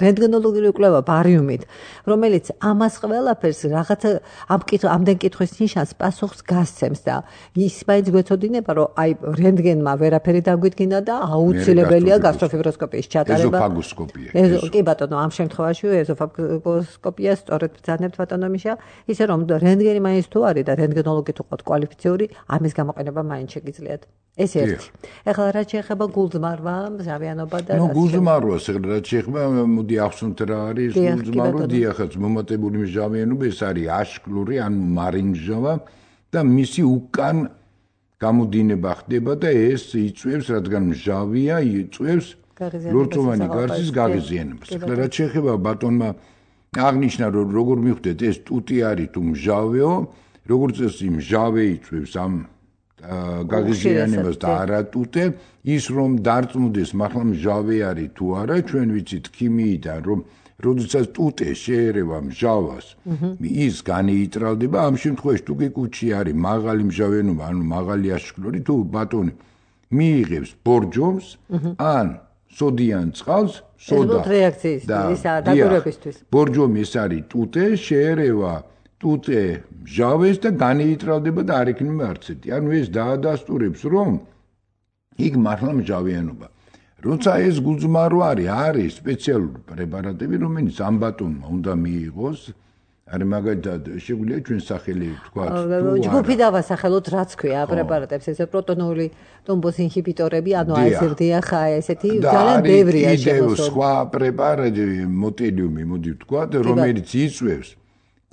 Speaker 2: რენტგენოლოგიური კვლევა ბარიუმით. რომელიც ამას ყველაფერს რაღაცა ამ კითხვა ამდენ კითხვის ნიშანს პასუხს გასცემს და ის მაინც გვეცოდინება რომ აი რენტგენმა ვერაფერი დაგვიდგინა და აუცილებელია გასტროფიბროსკოპიის ჩატარება.
Speaker 3: ეზოფაგოსკოპია.
Speaker 2: კი ბატონო, ამ შემთხვევაში ეზოფაგოსკოპია სწორედ ბრძანებთ ბატონო მიშა, ისე რომ რენტგენი მაინც თუ არის და რენტგენოლოგი თუ ყავთ კვალიფიციური, ამის გამოყენება მაინც შეგიძლიათ. ეს ერთი. ეხლა რაც შეეხება გულძმარვა, მჟავიანობა და
Speaker 3: ნუ გულძმარვას ეხლა რაც შეეხება, მოდი ახსნათ რა არის გულძმარვა, დიახაც მომატებული მჟავიანობა ეს არის აშკლური, ანუ მარინმჟავა და მისი უკან გამოდინება ხდება და ეს იწვევს, რადგან მჟავია, იწვევს ლორწოვანი გარსის გაღიზიანებას. ეხლა რაც შეეხება ბატონმა აღნიშნა, რომ როგორ მიხვდეთ ეს ტუტი არის თუ მჟავეო, როგორც წესი მჟავე იწვევს ამ გაღიზიანებას და არა ტუტე, ის რომ დარწმუნდეს მართლა მჟავე არის თუ არა, ჩვენ ვიცით ქიმიიდან რომ როდესაც ტუტე შეერევა მჟავას, ის განეიტრალდება, ამ შემთხვევაში თუ კი კუჭი არის მაღალი მჟავიანობა, ანუ მაღალი აშკლური, თუ ბატონი მიიღებს ბორჯომს, ან სოდიან წყალს, სოდა
Speaker 2: და დაგურებისთვის.
Speaker 3: ბორჯომი ეს არის ტუტე, შეერევა ტუტე მჟავეს და განეიტრალდება და არ იქნება არცეთი. ანუ ეს დაადასტურებს, რომ იქ მართლა მჟავიანობა. როცა ეს გულძმარო არის, არის სპეციალური პრეპარატები, რომელიც ამ ბატონმა უნდა მიიღოს. არის მაგალითად შეგვიძლია ჩვენ სახელი თქვა.
Speaker 2: ჯგუფი დავასახელოთ, რაც ქვია პრეპარატებს, ესე პროტონული ტომბოს ინჰიბიტორები, ანუ აიზერდია ხა ესეთი ძალიან ბევრია
Speaker 3: შემოსული. სხვა პრეპარატი მოტილიუმი, მოდი ვთქვა, რომელიც იწვევს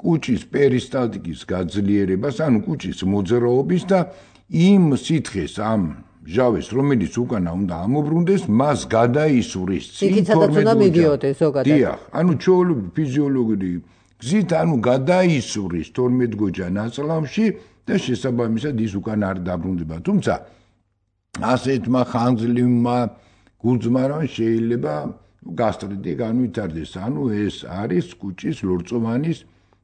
Speaker 3: კუჭის პერისტალტიკის გაძლიერებას, ანუ კუჭის მოძრაობის და იმ სითხეს ამ ჟავეს, რომელიც უკანა უნდა ამობრუნდეს, მას გადაისვრის
Speaker 2: წინ თორმეტ გოჯა.
Speaker 3: დიახ, ანუ ჩვეულებრივი ფიზიოლოგიური გზით, ანუ გადაისვრის თორმეტ გოჯა ნაწლავში და შესაბამისად ის უკანა არ დაბრუნდება. თუმცა ასეთმა ხანგრძლივმა გულძმარვამ შეიძლება გასტრიტი განვითარდეს, ანუ ეს არის კუჭის ლორწოვანის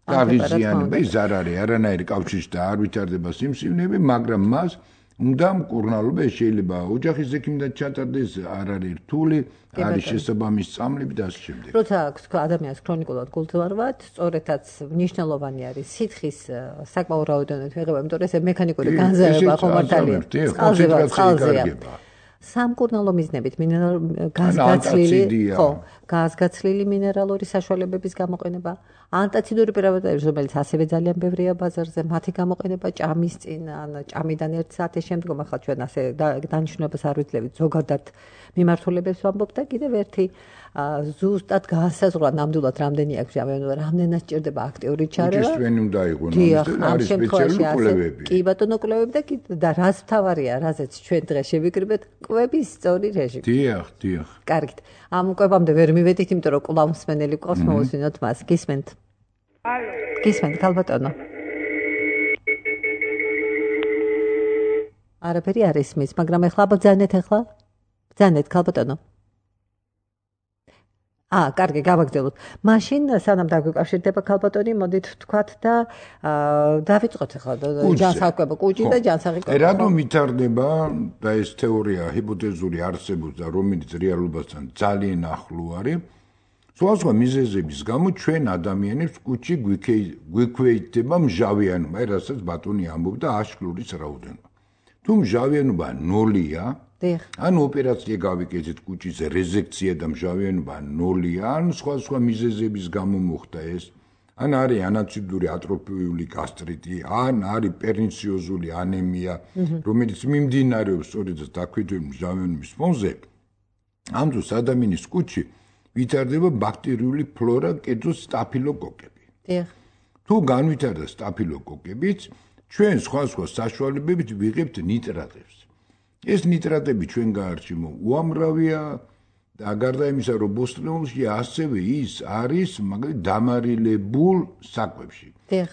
Speaker 3: გაღიზიანება, ის არ არის არანაირი კავშირი და არ ვითარდება სიმსივნეები, მაგრამ მას უნდა მკურნალობა, შეიძლება ოჯახის ექიმთან ჩატარდეს, არ არის რთული, არის შესაბამის წამლები და ასე შემდეგ.
Speaker 2: როცა აქვს ადამიანს ქრონიკულად გულძმარვა, სწორედაც მნიშვნელოვანი არის სითხის საკმაო რაოდენობით მიღება, იმიტომ რომ ეს მექანიკური განზრება ხო მართალია. წყალზეა. სამკურნალო მიზნებით გაზგაცლილი, ხო, გაზგაცლილი მინერალური საშუალებების გამოყენება, ანტაციდური პრეპარატები, რომელიც ასევე ძალიან ბევრია ბაზარზე, მათი გამოყენება ჭამის წინ, ან ჭამიდან ერთ საათის შემდგომ, ახლა ჩვენ ასე დანიშნულებას არ ვიძლევით, ზოგადად მიმართულებებს ვამბობ და კიდევ ერთი ზუსტად განსაზღვრა ნამდვილად რამდენი აქვს ჟავიანობა, რამდენად სჭირდება აქტიური ჩარევა.
Speaker 3: უჯის ჩვენი უნდა იყოს ნამდვილად, არის სპეციალური კვლევები.
Speaker 2: კი ბატონო, კვლევები და და რაც თავარია, რაზეც ჩვენ დღეს შევიკრიბეთ, კვების სწორი რეჟიმი.
Speaker 3: დიახ, დიახ.
Speaker 2: კარგით. ამ კვებამდე ვერ მივედით, იმიტომ რომ კვლავ მსმენელი ყავს, მოვუსვინოთ მას. გისმენთ?
Speaker 5: ალო.
Speaker 2: გისმენთ, ქალბატონო. არაფერი არ ისმის, მაგრამ ეხლა ბძანეთ ეხლა. ბძანეთ ქალბატონო. აა, კარგი, გავაგრძელოთ. მაშინ სანამ დაგვიკავშირდება ქალბატონი, მოდით ვთქვათ და დავიწყოთ ახლა ჯანსაღკვება კუჭი და ჯანსაღი კოჭი.
Speaker 3: რატომ ვითარდება და ეს თეორია ჰიპოთეზური არსებობს და რომელიც რეალობასთან ძალიან ახლო არის? სხვადასხვა მიზეზების გამო ჩვენ ადამიანებს კუჭი გვიქვეითდება მჟავიანობა, რასაც ბატონი ამბობდა აშკლურის რაოდენობა. თუ მჟავიანობა ნოლია, ან ოპერაცია გავიკეთეთ კუჭის რეზექცია და მჟავიანობა ნოლია, ან სხვადასხვა მიზეზების გამო მოხდა ეს, ან არის ანაციდური ატროფიული გასტრიტი, ან არის პერნიციოზული ანემია, რომელიც მიმდინარეობს სწორედ დაქვეითებული მჟავიანობის ფონზე. ამ დროს ადამიანის კუჭი ვითარდება ბაქტერიული ფლორა, კერძოდ სტაფილოკოკები. თუ განვითარდა სტაფილოკოკებიც, ჩვენ სხვადასხვა საშუალებებით ვიღებთ ნიტრატებს. ეს ნიტრატები ჩვენ გაარჩევთ უამრავია და გარდა იმისა, რომ ბოსტნეულში ასევე ის არის მაგალითად დამარილებულ საკვებში.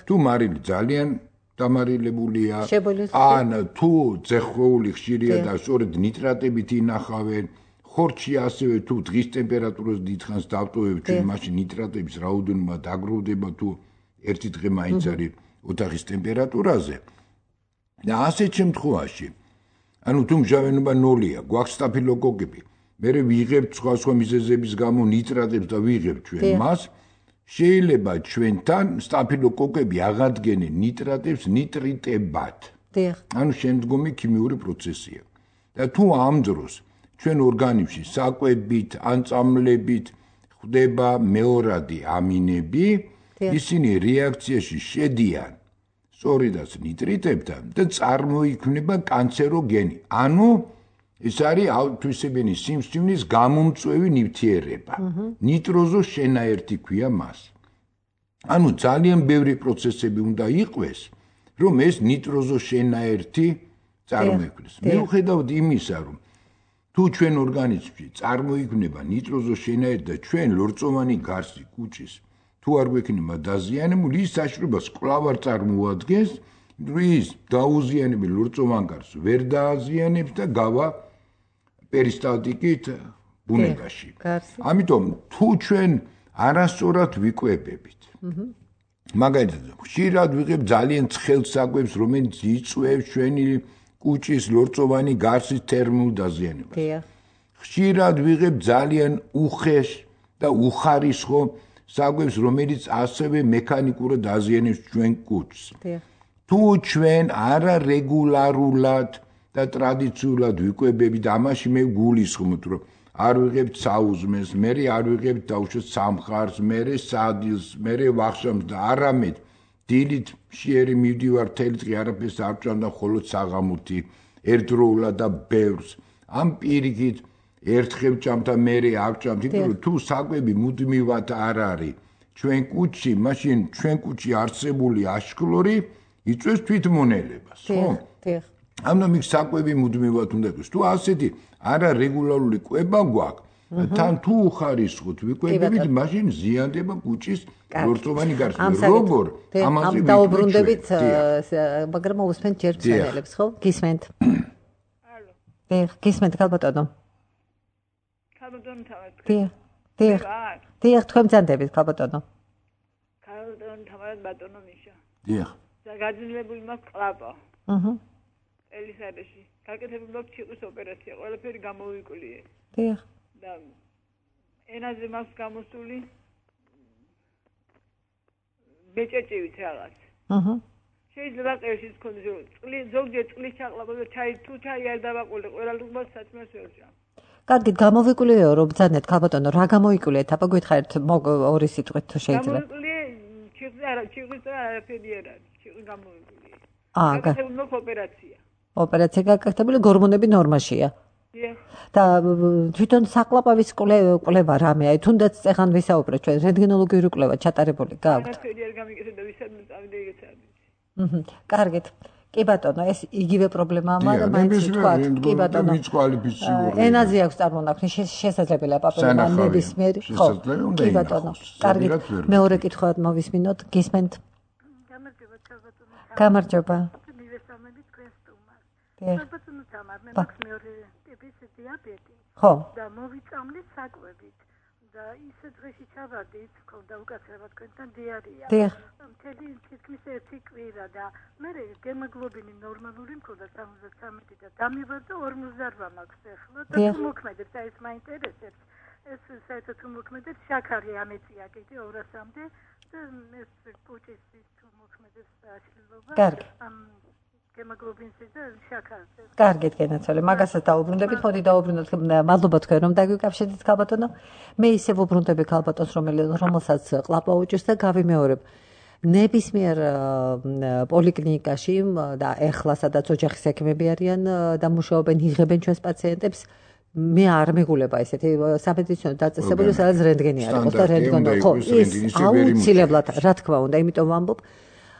Speaker 3: თუ მარილი ძალიან დამარილებულია, ან თუ ძეხვეული ხშირია და სწორედ ნიტრატებით ინახავენ, ხორცში ასევე თუ დღის ტემპერატურას დიდხანს დავტოვებ, ჩვენ მაშინ ნიტრატების რაოდენობა დაგროვდება თუ ერთი დღე მაინც არის ოთახის ტემპერატურაზე. და ასეთ შემთხვევაში ანუ თუ მჟავიანობა ნოლია, გვაქვს სტაფილოკოკები, მერე ვიღებთ სხვადასხვა მიზეზების გამო ნიტრატებს და ვიღებთ ჩვენ მას, შეიძლება ჩვენთან სტაფილოკოკები აღადგენენ ნიტრატებს ნიტრიტებად. ანუ შემდგომი ქიმიური პროცესია. და თუ ამ დროს ჩვენ ორგანიზმში საკვებით ან წამლებით ხდება მეორადი ამინები, ისინი რეაქციაში შედიან სწორედაც ნიტრიტებთან და წარმოიქმნება კანცეროგენი. ანუ ეს არის ავთვისებენი სიმსივნის გამომწვევი ნივთიერება. ნიტროზოს შენაერთი ქვია მას. ანუ ძალიან ბევრი პროცესები უნდა იყვეს, რომ ეს ნიტროზოს შენაერთი წარმოიქმნეს. მიუხედავად იმისა, რომ თუ ჩვენ ორგანიზმში წარმოიქმნება ნიტროზოს შენაერთი და ჩვენ ლორწოვანი გარსი კუჭის თუ არ გვექნება დაზიანებული, ის საშუალებას კვლავ არ წარმოადგენს, ის დაუზიანებელ ლორწოვან გარს ვერ დააზიანებს და გავა პერისტალტიკით ბუნებაში. ამიტომ თუ ჩვენ არასწორად ვიკვებებით, მაგალითად, ხშირად ვიღებ ძალიან ცხელ საკვებს, რომელიც იწვევს ჩვენი კუჭის ლორწოვანი გარსის თერმულ დაზიანებას. ხშირად ვიღებ ძალიან უხეშ და უხარისხო საკვებს, რომელიც ასევე მექანიკურად აზიანებს ჩვენ კუჭს. თუ ჩვენ არარეგულარულად და ტრადიციულად ვიკვებებით, ამაში მე გულისხმობ, რომ არ ვიღებთ საუზმეს, მე არ ვიღებთ დაუშვათ სამხარს, მე სადილს, მე ვახშამს და არამედ დილით შეერი მივდივარ თელი დღე არაფერს არ ვჭამ და მხოლოდ საღამოთი ერთდროულად და ბევრს. ამ პირიქით ერთხელ ვჭამ და მე არ ვჭამ, იმიტომ რომ თუ საკვები მუდმივად არ არის ჩვენ კუჭში, მაშინ ჩვენ კუჭში არსებული აშკლორი იწვევს თვითმონელებას, ხო? ამიტომ იქ საკვები მუდმივად უნდა იყოს. თუ ასეთი არარეგულარული კვება გვაქვს, თან თუ უხარისხოთ ვიკვებებით, მაშინ ზიანდება კუჭის ლორწოვანი გარსი. როგორ? ამაზე
Speaker 2: დაუბრუნდებით, მაგრამ უსმენთ ჯერ მსმენელებს, ხო? გისმენთ?
Speaker 10: ალო.
Speaker 2: დიახ, გისმენთ ქალბატონო.
Speaker 10: ქალბატონო თავად.
Speaker 2: დიახ. დიახ. დიახ, თქვენ ბრძანდებით ქალბატონო.
Speaker 10: ქალბატონო თავად ბატონო მიშა.
Speaker 3: დიახ.
Speaker 10: გაგაძლებული მაქვს ყლაპა.
Speaker 2: აჰა.
Speaker 10: ელისაბეში. გაკეთებული მაქვს ჩიყვის ოპერაცია, ყველაფერი გამოვიკვლიე.
Speaker 2: დიახ.
Speaker 10: და ენაზე მაქვს გამოსული ბეჭეჭივით რაღაც.
Speaker 2: აჰა.
Speaker 10: შეიძლება ყევში თქონდეს რომ წლი ზოგჯერ წლის ჩაყლაპა და ჩაი თუ ჩაი არ დავაყოლე, ყველა რუბას სათმას ვერჭამ.
Speaker 2: კარგით, გამოვიკვლიეო, რომ ბძანეთ ქალბატონო, რა გამოიკვლიეთ? აბა გითხარით ორი სიტყვით თუ შეიძლება.
Speaker 10: გამოვიკვლიე ჩიყვის არა, ჩიყვის და არაფერი არ არის. ჩიყვის გამოვიკვლიე.
Speaker 2: აა,
Speaker 10: გაკეთებული ოპერაცია.
Speaker 2: ოპერაცია გაკეთებული, გორმონები ნორმაშია. და თვითონ საყლაპავის კვლევა რამე, აი თუნდაც წეხან ვისაუბრეთ ჩვენ, რენტგენოლოგიური კვლევა ჩატარებული გაქვთ.
Speaker 10: არაფერი არ გამიკეთდა, ვისადმი წავიდა იგეცადი.
Speaker 2: აჰა, კარგით. კი ბატონო, ეს იგივე პრობლემაა, მაგრამ მაინც ვთქვათ, კი ბატონო. ენაზე აქვს წარმონაქმნი, შესაძლებელია პაპილომა ნებისმიერი. ხო, კი ბატონო. კარგით. მეორე კითხვა მოვისმინოთ, გისმენთ?
Speaker 5: გამარჯობა, ბატონო.
Speaker 2: გამარჯობა.
Speaker 5: მივესალმები თქვენ სტუმარს.
Speaker 2: დიახ.
Speaker 5: ბატონო თამარ, მე მაქვს მეორე ტიპის დიაბეტი.
Speaker 2: ხო.
Speaker 5: და მოვიწამლე საკვებით.
Speaker 6: და ისე დღეში ჩავარდით, მქონდა უკაცრავად თქვენთან დიარია. მთელი თითქმის ერთი კვირა და მე გემოგლობინი ნორმალური მქონდა სამოცდათრამეტი და დამივარდა ორმოცდაოთხ მაქვს ახლა და თუ მოქმედებს, აი ეს მაინტერესებს. ეს საერთოდ თუ მოქმედებს, შაქარი ამეწია კიდე ორასამდე და ეს კუჭის თუ მოქმედებს აშლილობა.
Speaker 2: კარგი.
Speaker 6: გემოგლობინზე და შაქარზე.
Speaker 2: კარგით, გენაცვალე. მაგასაც დაუბრუნდებით, მოდი დაუბრუნდეთ. მადლობა თქვენ რომ დაგვიკავშირდით ქალბატონო. მე ისე ვუბრუნდები ქალბატონს, რომელსაც ყლაპა უჭირს და გავიმეორებ. ნებისმიერ პოლიკლინიკაში და ეხლა სადაც ოჯახის ექიმები არიან და მუშაობენ, იღებენ ჩვენს პაციენტებს, მე არ მეგულება ესეთი სამედიცინო დაწესებულება, სადაც რენტგენი არ იყოს და რენტგენო ხო, ის აუცილებლად, რა თქმა უნდა, იმიტომ ვამბობ,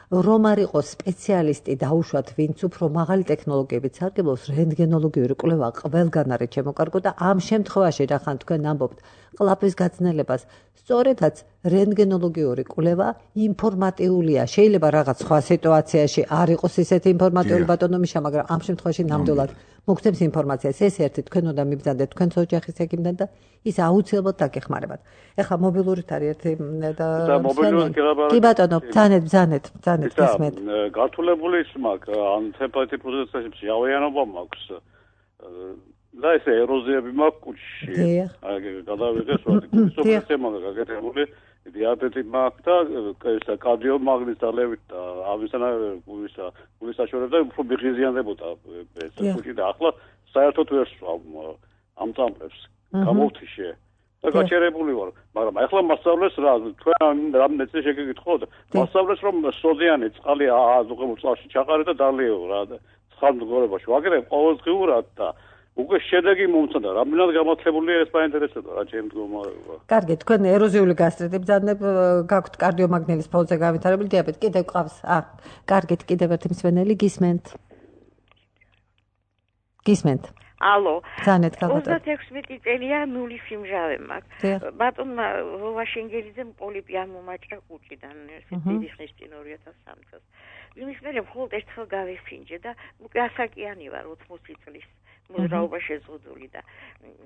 Speaker 2: რომ არ იყოს სპეციალისტი დაუშვათ, ვინც უფრო მაღალი ტექნოლოგიებით სარგებლობს, რენტგენოლოგიური კვლევა ყველგან არის შემოკარგო და ამ შემთხვევაში რახან თქვენ ამბობთ ყლაპის გაცნელებას, სწორედაც რენტგენოლოგიური კვლევა ინფორმატიულია. შეიძლება რაღაც სხვა სიტუაციაში არ იყოს ისეთი ინფორმატიული ბატონო მიშა, მაგრამ ამ შემთხვევაში ნამდვილად მოგცემს ინფორმაციას. ეს ერთი თქვენ უნდა მიბრძანდეთ თქვენს ოჯახის ექიმთან და ის აუცილებლად დაგეხმარებათ. ეხლა მობილურით არის ერთი და კი ბატონო, ბრძანეთ, ბრძანეთ, ბრძანეთ გისმენთ.
Speaker 11: გართულებული ის მაქვს, ან თემპერატურის პროცესებში ავიანობა მაქვს. და ეს ეროზიები მაქვს კუჭში. აი გადავიღეს ვარდი კუჭის პროცესია გაკეთებული. დიაბეტი მაქვს და ეს კარდიომაგნიტის ძალებით და ამისანა გულისა გულის საშუალებდა უფრო მიღიზიანდებოდა ეს კუჭი და ახლა საერთოდ ვერ სვავ ამ წამლებს გამოვთიშე და გაჩერებული ვარ, მაგრამ ახლა მასწავლეს რა თქვენ რამე წელი შეგეკითხოთ მასწავლეს რომ სოდიანი წყალი აზუღებულ წყალში ჩაყარე და დალიეო რა ცხამდგორებაში ვაგრებ ყოველდღიურად და უკვე შედეგი მომცა და რამდენად გამართლებულია ეს საინტერესოა რა ჩემ მდგომარეობა.
Speaker 2: კარგი, თქვენ ეროზიული გასტრიტი ბრძანებ, გაქვთ კარდიომაგნიტის ფონზე განვითარებული დიაბეტი, კიდევ ყავს. აა, კარგით, კიდევ ერთი მსვენელი გისმენთ. გისმენთ.
Speaker 12: ალო.
Speaker 2: ბრძანეთ ქალბატონო.
Speaker 12: ოცდაექვსმეტი წელია ნული სიმჟავე მაქვს. ბატონმა ვაშენგელიძემ პოლიპი ამომაჭრა კუჭიდან დიდი ხნის წინ ორი ათას სამი წელს. იმის მერე მხოლოდ ერთხელ გავიფინჯე და უკვე ასაკიანი ვარ ოცდაოთხ წლის. მოძრაობა შეზღუდული და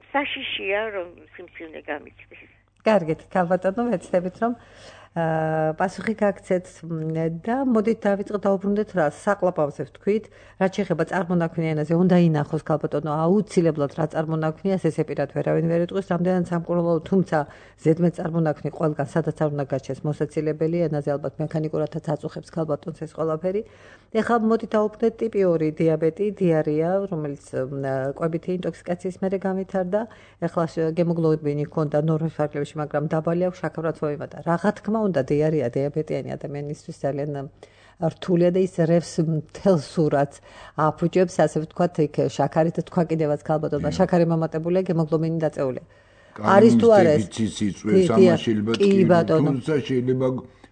Speaker 12: საშიშია რომ სიმსივნე გამიჩნდეს.
Speaker 2: კარგით, ქალბატონო, ვეცდებით რომ პასუხი გაგცეთ და მოდით დავიწყოთ დაუბრუნდეთ რა საყლაპავზე ვთქვით, რაც შეეხება წარმონაქმნიან ენაზე, უნდა ინახოს ქალბატონო, აუცილებლად რა წარმონაქმნიას ესე პირად ვერავინ ვერ იტყვის, რამდენად სამკურნალო, თუმცა ზედმეტ წარმონაქმნი ყველგან სადაც არ უნდა გაჩეს მოსაცილებელი ენაზე ალბათ მექანიკურადაც აწუხებს ქალბატონს ეს ყველაფერი. ეხლა მოდით დაუბრუნდეთ ტიპი ორი დიაბეტი, დიარია, რომელიც კვებითი ინტოქსიკაციის მერე განვითარდა. ეხლა გემოგლობინი ჰქონდა ნორმის ფარგლებში, მაგრამ დაბალი აქვს, შაქარად მოიმატა. რა თქმა უნდა დიარია დიაბეტიანი ადამიანისთვის ძალიან რთულია და ის რევს მთელ სურათს აფუჭებს, ასე ვთქვათ, იქ შაქარით თქვა კიდევაც ქალბატონმა, შაქარი მომატებულია, გემოგლობინი დაწეულია. არის თუ არა ეს
Speaker 3: იწვევს ამაშილება თუმცა შეიძლება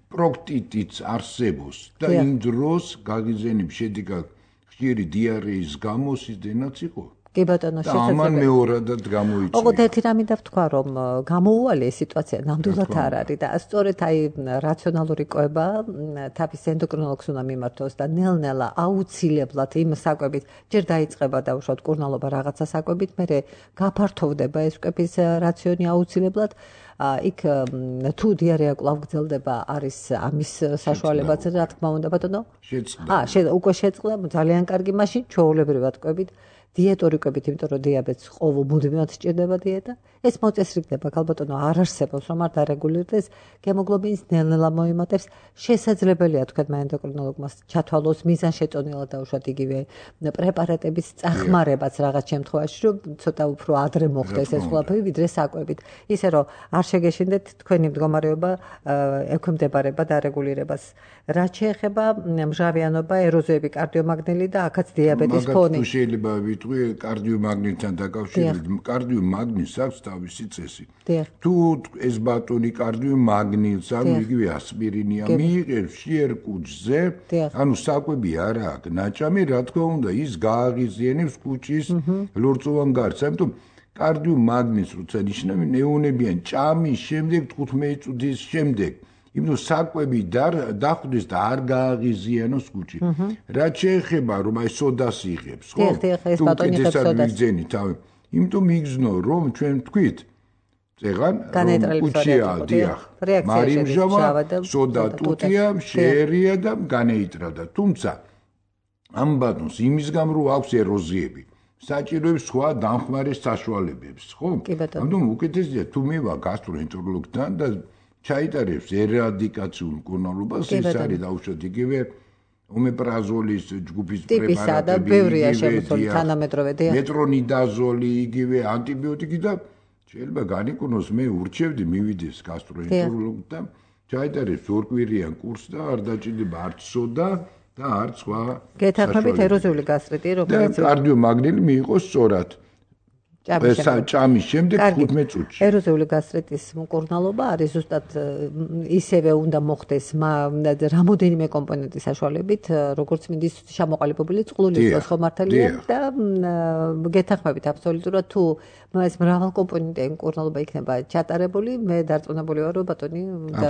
Speaker 3: პროქტიტიც არსებობს და იმ დროს გაგიზენებ შედეგად ხშირი დიარეის გამო სიზდენაც იყო.
Speaker 2: კი ბატონო, შესაძლოა.
Speaker 3: ამან მეორადად გამოიწვია.
Speaker 2: ოღონდ ერთი რამი დავთქვა, რომ გამოუვალე ეს სიტუაცია ნამდვილად არ არის და სწორედ აი რაციონალური კვება თავის ენდოკრინოლოგს უნდა მიმართოს და ნელ-ნელა აუცილებლად იმ საკვებით ჯერ დაიწყება დაუშვათ კურნალობა რაღაცა საკვებით, მერე გაფართოვდება ეს კვების რაციონი აუცილებლად. იქ თუ დიარეა კვლავ გრძელდება, არის ამის საშუალებაც რა თქმა უნდა ბატონო?
Speaker 3: შეწყდა.
Speaker 2: აა, უკვე შეწყდა, ძალიან კარგი, მაშინ ჩვეულებრივად კვებით. დიეტური კვებით, იმიტომ რომ დიაბეტს ყოველ მუდმივად სჭირდება დიეტა. ეს მოწესრიგდება ქალბატონო არ არსებობს, რომ არ დარეგულირდეს, გემოგლობინის ნელ-ნელა მოიმატებს. შესაძლებელია თქვენმა ენდოკრინოლოგმა ჩათვალოს მიზანშეწონილად დაუშვათ იგივე პრეპარატების წახმარებაც რაღაც შემთხვევაში, რომ ცოტა უფრო ადრე მოხდეს ეს ყველაფერი, ვიდრე საკვებით. ისე რომ არ შეგეშინდეთ თქვენი მდგომარეობა ექვემდებარება დარეგულირებას. რაც შეეხება მჟავიანობა, ეროზიები, კარდიომაგნიტი და აქაც დიაბეტის ფონი.
Speaker 3: მაგათ შეიძლება ვიტყვი კარდიომაგნიტთან დაკავშირებით, კარდიომაგნიტს აქვს თავისი წესი. თუ ეს ბატონი კარდიომაგნიტს ან იგივე ასპირინია მიიღებს შიერ კუჭზე, ანუ საკვები არ აქვს ნაჭამი, რა თქმა უნდა, ის გააღიზიანებს კუჭის ლორწოვან გარს. ამიტომ კარდიომაგნიტს როცა ნიშნავენ, ეუნებიან ჭამის შემდეგ თხუთმეტი წუთის შემდეგ. იმიტომ საკვები დახვდეს და არ გააღიზიანოს კუჭი. რაც შეეხება რომ აი სოდას იღებს, ხო?
Speaker 2: ეს ბატონი იღებს სოდას.
Speaker 3: იმიტომ მიგზნო რომ ჩვენ თქვით წეღან კუჩია დიახ მარიმჟავა სოდა ტუტია შეერია და განეიტრალდა თუმცა ამ ბატონს იმის გამო რომ აქვს ეროზიები საჭიროებს სხვა დამხმარე საშუალებებს ხო ამიტომ უკეთესია თუ მივა გასტროენტეროლოგთან და ჩაიტარებს ერადიკაციულ მკურნალობას ის არის დაუშვათ იგივე ომეპრაზოლის ჯგუფის პრეპარატები მეტრონიდაზოლი იგივე ანტიბიოტიკი და შეიძლება განიკურნოს მე ურჩევდი მივიდეს გასტროენტეროლოგთან ჩაიტარებს ორკვირიან კურსს და არ დაჭირდება არც სოდა და არც სხვა
Speaker 2: გეთანხმებით ეროზიული გასტრიტი რომელიც
Speaker 3: კარდიომაგნილი მიიღოს სწორად ჭამის შემდეგ ხუთმეტ წუთში.
Speaker 2: ეროზიული გასტრიტის მკურნალობა არის ზუსტად ისევე უნდა მოხდეს რამოდენიმე კომპონენტის საშუალებით, როგორც მინდის ჩამოყალიბებული წყლულის ხომართალია და გეთანხმებით აბსოლუტურად თუ ეს მრავალკომპონენტიანი მკურნალობა იქნება ჩატარებული, მე დარწმუნებული ვარ, რომ ბატონი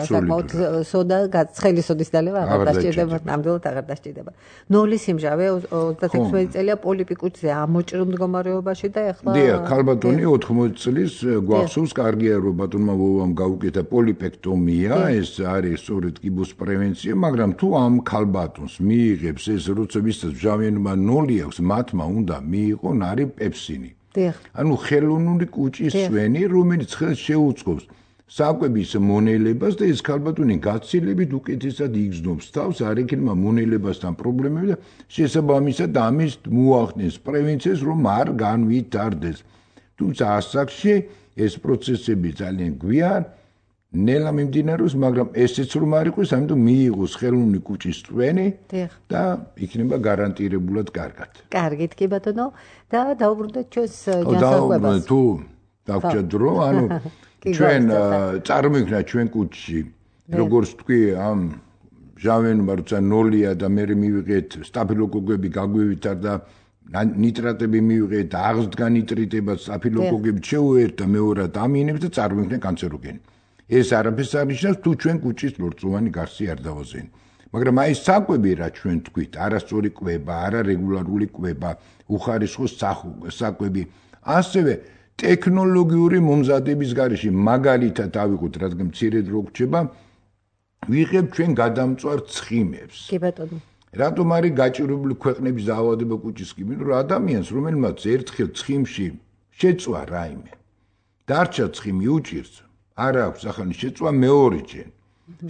Speaker 2: საკმაოდ სოდა ცხელი სოდის დალევა აღარ დასჭირდება, ნამდვილად აღარ დასჭირდება. ნოლის იმჟავე ოცდაექვსი წელია პოლიპიკუჩზე ამოჭრილ მდგომარეობაში და ეხლა
Speaker 3: ქალბატონი ოთხმოცი წლის გვახსოვს კარგია რომ ბატონმა ვოვამ გაუკეთა პოლიპექტომია ეს არის სწორედ კიბოს პრევენცია მაგრამ თუ ამ ქალბატონს მიიღებს ეს როცა ვისაც ჟავიანობა ნოლი აქვს მათმა უნდა მიიღონ არის პეპსინი ანუ ხელოვნური კუჭის სვენი რომელიც ხელს შეუწყობს საკვების მონელებას და ეს ქალბატონი გაცილებით უკეთესად იგრძნობს თავს არ ექნება მონელებასთან პრობლემები და შესაბამისად ამის მოახდენს პრევენციას რომ არ განვითარდეს თუმცა ასაკში ეს პროცესები ძალიან გვიან ნელა მიმდინარეობს მაგრამ ესეც რომ არ იყოს ამიტომ მიიღოს ხელოვნური კუჭის სვენი და იქნება გარანტირებულად კარგად
Speaker 2: კარგით კი ბატონო და დაუბრუნდეთ ჩვენს განსხვავებას
Speaker 3: თუ დაგჭა დრო ანუ ჩვენ წარმოვიდგინეთ ჩვენ კუჭში როგორც თქვი ამ ჟავიანობა როცა ნოლია და მე მივიღეთ სტაფილოკოკები გაგვივითარდა ნიტრატები მივიღეთ აღზრდგა ნიტრიტება სტაფილოკოკები შეუერთ და მეორად ამინებს და წარმოვიდგინეთ კანცეროგენი ეს არაფერს არ ნიშნავს თუ ჩვენ კუჭის ლორწოვანი გარსი არ დავაზენ მაგრამ აი საკვები რა ჩვენ თქვით არასწორი კვება არარეგულარული კვება უხარისხო საკვები ასევე ტექნოლოგიური მომზადების გარეშე მაგალითად ავიღოთ რადგან მცირე დრო გრჩება ვიღებ ჩვენ გადამწვარ ცხიმებს
Speaker 2: კი ბატონო
Speaker 3: რატომ არის გაჭირებული ქვეყნების დაავადება კუჭის კიბით რომ ადამიანს რომელმაც ერთხელ ცხიმში შეწვა რაიმე დარჩა ცხიმი უჭირს არ აქვს ახალი შეწვა მეორეჯერ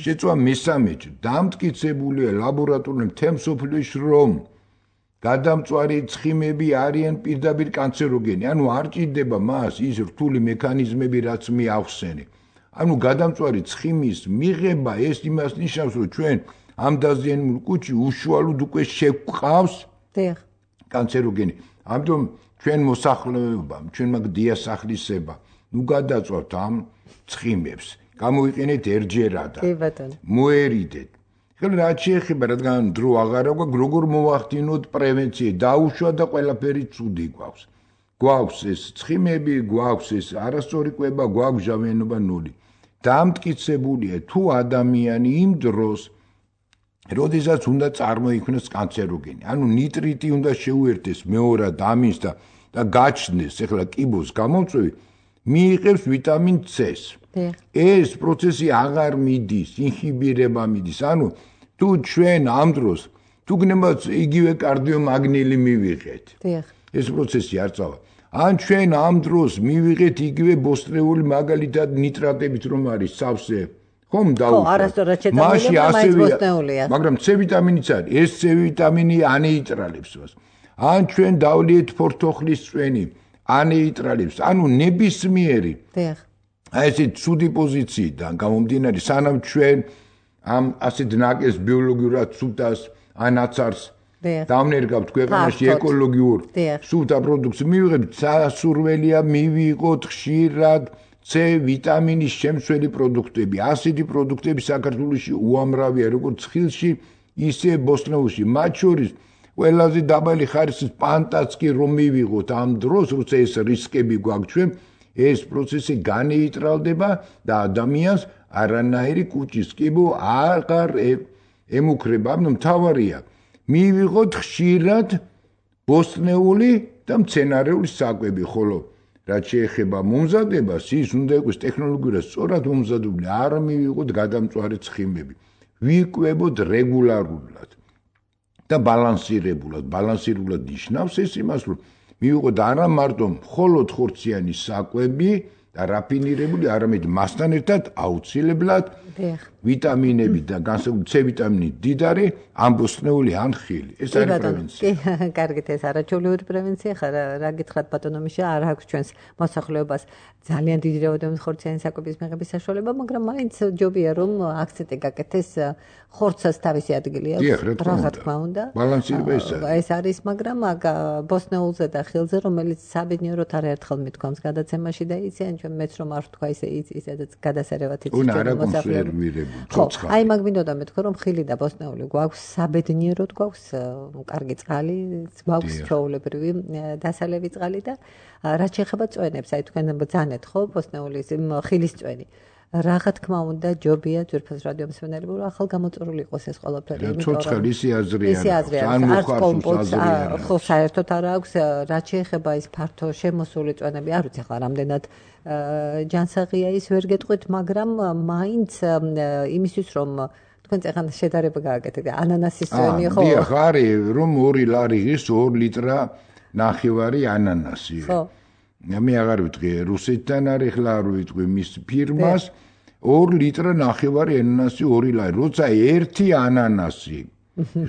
Speaker 3: შეწვა მესამეჯერ დამტკიცებულია ლაბორატორიულ თემსოფლში რომ გადამწვარი ცხიმები არიან პირდაპირ კანცეროგენი ანუ არ ჭირდება მას ის რთული მექანიზმები რაც მე ახსენე ანუ გადამწვარი ცხიმის მიღება ეს იმას ნიშნავს რომ ჩვენ ამ დაზიანებულ კუჭი უშუალოდ უკვე შევყავს კანცეროგენი ამიტომ ჩვენ მოსახლეობამ ჩვენ მაგ დიასახლისება ნუ გადაწვავთ ამ ცხიმებს გამოვიყენეთ ერჯერადა
Speaker 2: კი ბატონო
Speaker 3: მოერიდეთ ხელ რა შეეხება რადგან დრო აღარა გვაქვს როგორ მოვახდინოთ პრევენცია დაუშვა და ყველაფერი ცუდი გვაქვს გვაქვს ეს ცხიმები გვაქვს ეს არასწორი კვება გვაქვს ჟავიანობა ნული დამტკიცებულია თუ ადამიანი იმ დროს როდესაც უნდა წარმოიქმნას კანცეროგენი ანუ ნიტრიტი უნდა შეუერთდეს მეორად ამინს და და გაჩნდეს ეხლა კიბოს გამომწვევი მიიღებს ვიტამინ C-ს ეს პროცესი აღარ მიდის ინჰიბირება მიდის ანუ თუ ჩვენ ამ დროს თუ გნებაც იგივე კარდიომაგნილი მივიღეთ ეს პროცესი არ წავა ან ჩვენ ამ დროს მივიღეთ იგივე ბოსტრეული მაგალითად ნიტრატებით რომ არის სავსე ხომ
Speaker 2: დაუშვათ ხო არასდროს შეტანილია მაინც ბოსტრეულია
Speaker 3: მაგრამ C ვიტამინიც არის ეს C ვიტამინი ანეიტრალებს მას ან ჩვენ დავლიეთ ფორთოხლის წვენი ანეიტრალებს ანუ ნებისმიერი აი ეს ცუდი პოზიციიდან გამომდინარე სანამ ჩვენ ამ ასეთ ნაკეს ბიოლოგიურად სუდას ანაცარს დავნერგავთ ქვეყანაში ეკოლოგიურ სუდა პროდუქტს მივიღებთ სასურველია მივიღოთ ხშირად C ვიტამინის შემცველი პროდუქტები ასეთი პროდუქტები საქართველოში უამრავია როგორც ხილში ისე ბოსტნეულში მათ შორის ყველაზე დაბალი ხარისხის პანტაც კი რომ მივიღოთ ამ დროს როცა ეს რისკები გვაქვს ჩვენ ეს პროცესი განეიტრალდება და ადამიანს არანაირი კუჭის კიბო აღარ ემუქრება. ანუ მთავარია მივიღოთ ხშირად ბოსტნეული და მცენარეული საკვები, ხოლო რაც შეეხება მომზადებას, ის უნდა იყოს ტექნოლოგიურად სწორად მომზადებული, არ მივიღოთ გადამწვარი ცხიმები. ვიკვებოთ რეგულარულად და ბალანსირებულად. ბალანსირებულად ნიშნავს ეს იმას, რომ მივიღოთ არა მარტო მხოლოდ ხორციანი საკვები და რაფინირებული, არამედ მასთან ერთად აუცილებლად ვიტამინები და განსაკუთრებით C ვიტამინი დიდარი, ამბოსტნეული ან ხილი. ეს არის პრევენცია.
Speaker 2: კი, კარგით, ეს არაჩვეულებრივი პრევენცია ხარ, რა გითხრათ ბატონო მიშა, არ აქვს ჩვენს მოსახლეობას ძალიან დიდი რაოდენობის ხორციანი საკვების მიღების საშუალება, მაგრამ მაინც ჯობია რომ აქცენტი გაკეთდეს ხორცას თავისი ადგილი აქვს. რა თქმა უნდა.
Speaker 3: ბალანსირება ეს არის.
Speaker 2: ეს არის, მაგრამ ბოსტნეულზე და ხილზე, რომელიც საბედნიეროდ არაერთხელ მithქვამს გადაცემაში და იციან ჩვენ მეც რომ არ ვთქვა ისე ისედაც გადასარევად იცით
Speaker 3: ჩვენ მოსახლეობა.
Speaker 2: ხო, აი მაგ მინდოდა მეთქვა რომ ხილი და ბოსტნეული გვაქვს საბედნიეროდ გვაქვს კარგი წყალი, გვაქვს ჩვეულებრივი დასალევი წყალი და რაც შეეხება წვენებს, აი თქვენ ბრძანეთ ხო ბოსტნეულის ხილის წვენი. რა თქმა უნდა ჯობია ძვირფას რადიო მსმენელები რომ ახალ გამოწვეული იყოს ეს ყველაფერი,
Speaker 3: იმიტომ რომ ცოცხალი ისი აზრია.
Speaker 2: ან მოხარს ხო საერთოდ არ აქვს რაც შეეხება ის ფართო შემოსული წვენები, არ ვიცი ახლა რამდენად ჯანსაღია ის ვერ გეტყვით, მაგრამ მაინც იმისთვის რომ თქვენ წეგან შედარება გააკეთეთ ანანასის წვენი ხო?
Speaker 3: დიახ, არის რომ ორი ლარიღის ორ ლიტრა ნახევარი ანანასი. ხო. მე აღარ ვიტყვი რუსეთთან არის ხლა არ ვიტყვი მის ფირმას ორ ლიტრა ნახევარი ანანასი ორი ლარი. როცა ერთი ანანასი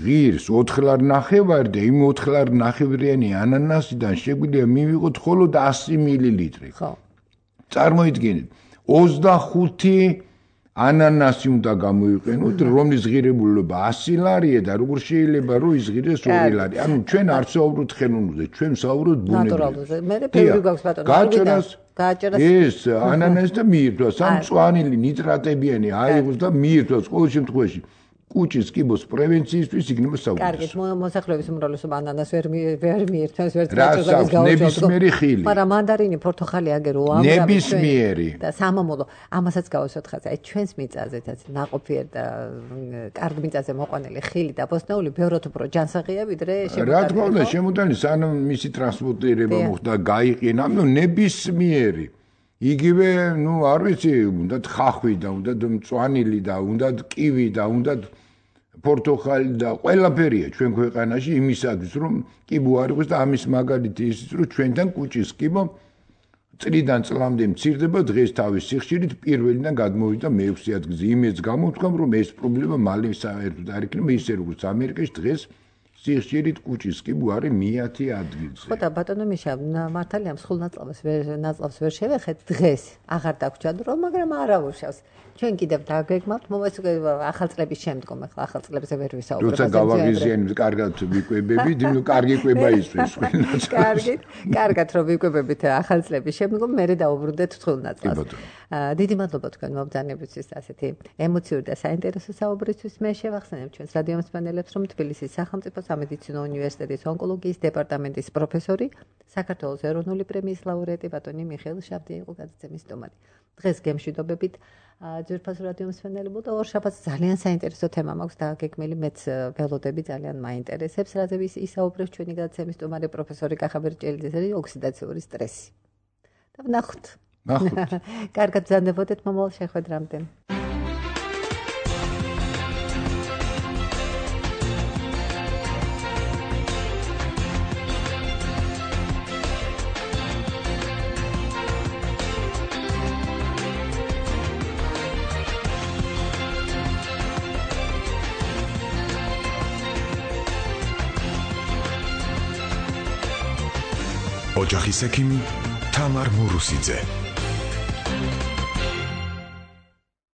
Speaker 3: ღირს ოთხ ლარ ნახევარი და იმ ოთხ ლარ ნახევრიანი ანანასიდან შეგვიძლია მივიღოთ მხოლოდ ასი მილილიტრი. ხო. წარმოიდგინეთ, ოცდახუთი ანანასი უნდა გამოიყენოთ, რომლის ღირებულობა ასი ლარია და როგორ შეიძლება რომ იზღირდეს ორი ლარი. ანუ ჩვენ არ ვსაუბრობთ ხელოვნურზე, ჩვენ ვსაუბრობთ ბუნებრივზე.
Speaker 2: მე ფევრი გვაქვს ბატონო.
Speaker 3: გააჭერას ეს ანანასი და მიირთვას, ამ მწვანილი ნიტრატებიანი აიღოს და მიირთვას ყოველ შემთხვევაში. კუჭის კიბოს პრევენციისთვის იქნება საუბარი.
Speaker 2: კარგით, მოსახლეობის უმრავლესობა ანანას ვერ ვერ მიირთვას, ვერ წაჭრებს გაუჩვენებს.
Speaker 3: ნებისმიერი ხილი.
Speaker 2: მაგრამ მანდარინი, პორტოხალი აგერ უამრავი.
Speaker 3: ნებისმიერი.
Speaker 2: და სამამულო, ამასაც გავუსვათ ხაზი. აი ჩვენს მიწაზეც ნაყოფიერ და კარგ მიწაზე მოყვანილი ხილი და ბოსტნეული ბევრად უფრო ჯანსაღია ვიდრე შემოტანილი.
Speaker 3: რა თქმა უნდა, შემოტანილი სანამ მისი ტრანსპორტირება მოხდა, გაიყინა, ნუ ნებისმიერი. იგივე, ნუ არ ვიცი, უნდა ხახვი და უნდა მწვანილი და უნდა კივი და უნდა პორტოხალი და ყველაფერია ჩვენ ქვეყანაში იმისათვის რომ კიბო არ იყოს და ამის მაგალითი ისიც რომ ჩვენთან კუჭის კიბო წლიდან წლამდე მცირდება დღეს თავის სიხშირით პირველიდან გადმოვიდა მეექვსე ადგილზე. იმეც გამოვთქვამ რომ ეს პრობლემა მალე საერთოდ არ იქნება ისე როგორც ამერიკაში დღეს სიხშირით კუჭის კიბო არის მეათე ადგილზე.
Speaker 2: ხო და ბატონო მიშა, მართალია მსხვილ ნაწლავს ვერ ნაწლავს ვერ შევეხეთ დღეს. აღარ დაგვრჩა დრო, მაგრამ არა უშავს. ჩვენ კიდევ დაგეგმავთ ახალ წლების შემდგომ, ახლა ახალ წლებზე ვერ ვისაუბრებთ.
Speaker 3: როცა გავაღიზიანებთ, კარგად ვიკვებებით, ნუ კარგი კვება ისვეს ყველას.
Speaker 2: კარგით, კარგად რომ ვიკვებებით ახალ წლების შემდგომ, მერე დაუბრუნდეთ თხილ ნაწლავს. დიდი მადლობა თქვენ მობრძანებისთვის ასეთი ემოციური და საინტერესო საუბრისთვის. მე შევახსენებ ჩვენს რადიო მსმენელებს, რომ თბილისის სახელმწიფო სამედიცინო უნივერსიტეტის ონკოლოგიის დეპარტამენტის პროფესორი, საქართველოს ეროვნული პრემიის ლაურეატი ბატონი მიხეილ შავდია იყო გადაცემის სტუმარი. დღეს გემშვიდობებით ძვირფასო რადიო მსმენელებო და ორშაბათს ძალიან საინტერესო თემა მაქვს და გეგმილი მეც ველოდები ძალიან მაინტერესებს, რაზე ისაუბრებს ჩვენი გადაცემის სტუმარი პროფესორი კახაბერჭელიძე, ოქსიდაციური სტრესი. და ვნახოთ.
Speaker 3: ნახოთ.
Speaker 2: კარგად ბრძანდებოდეთ მომავალ შეხვედრამდე.
Speaker 1: ოჯახის ექიმი თამარ მურუსიძე.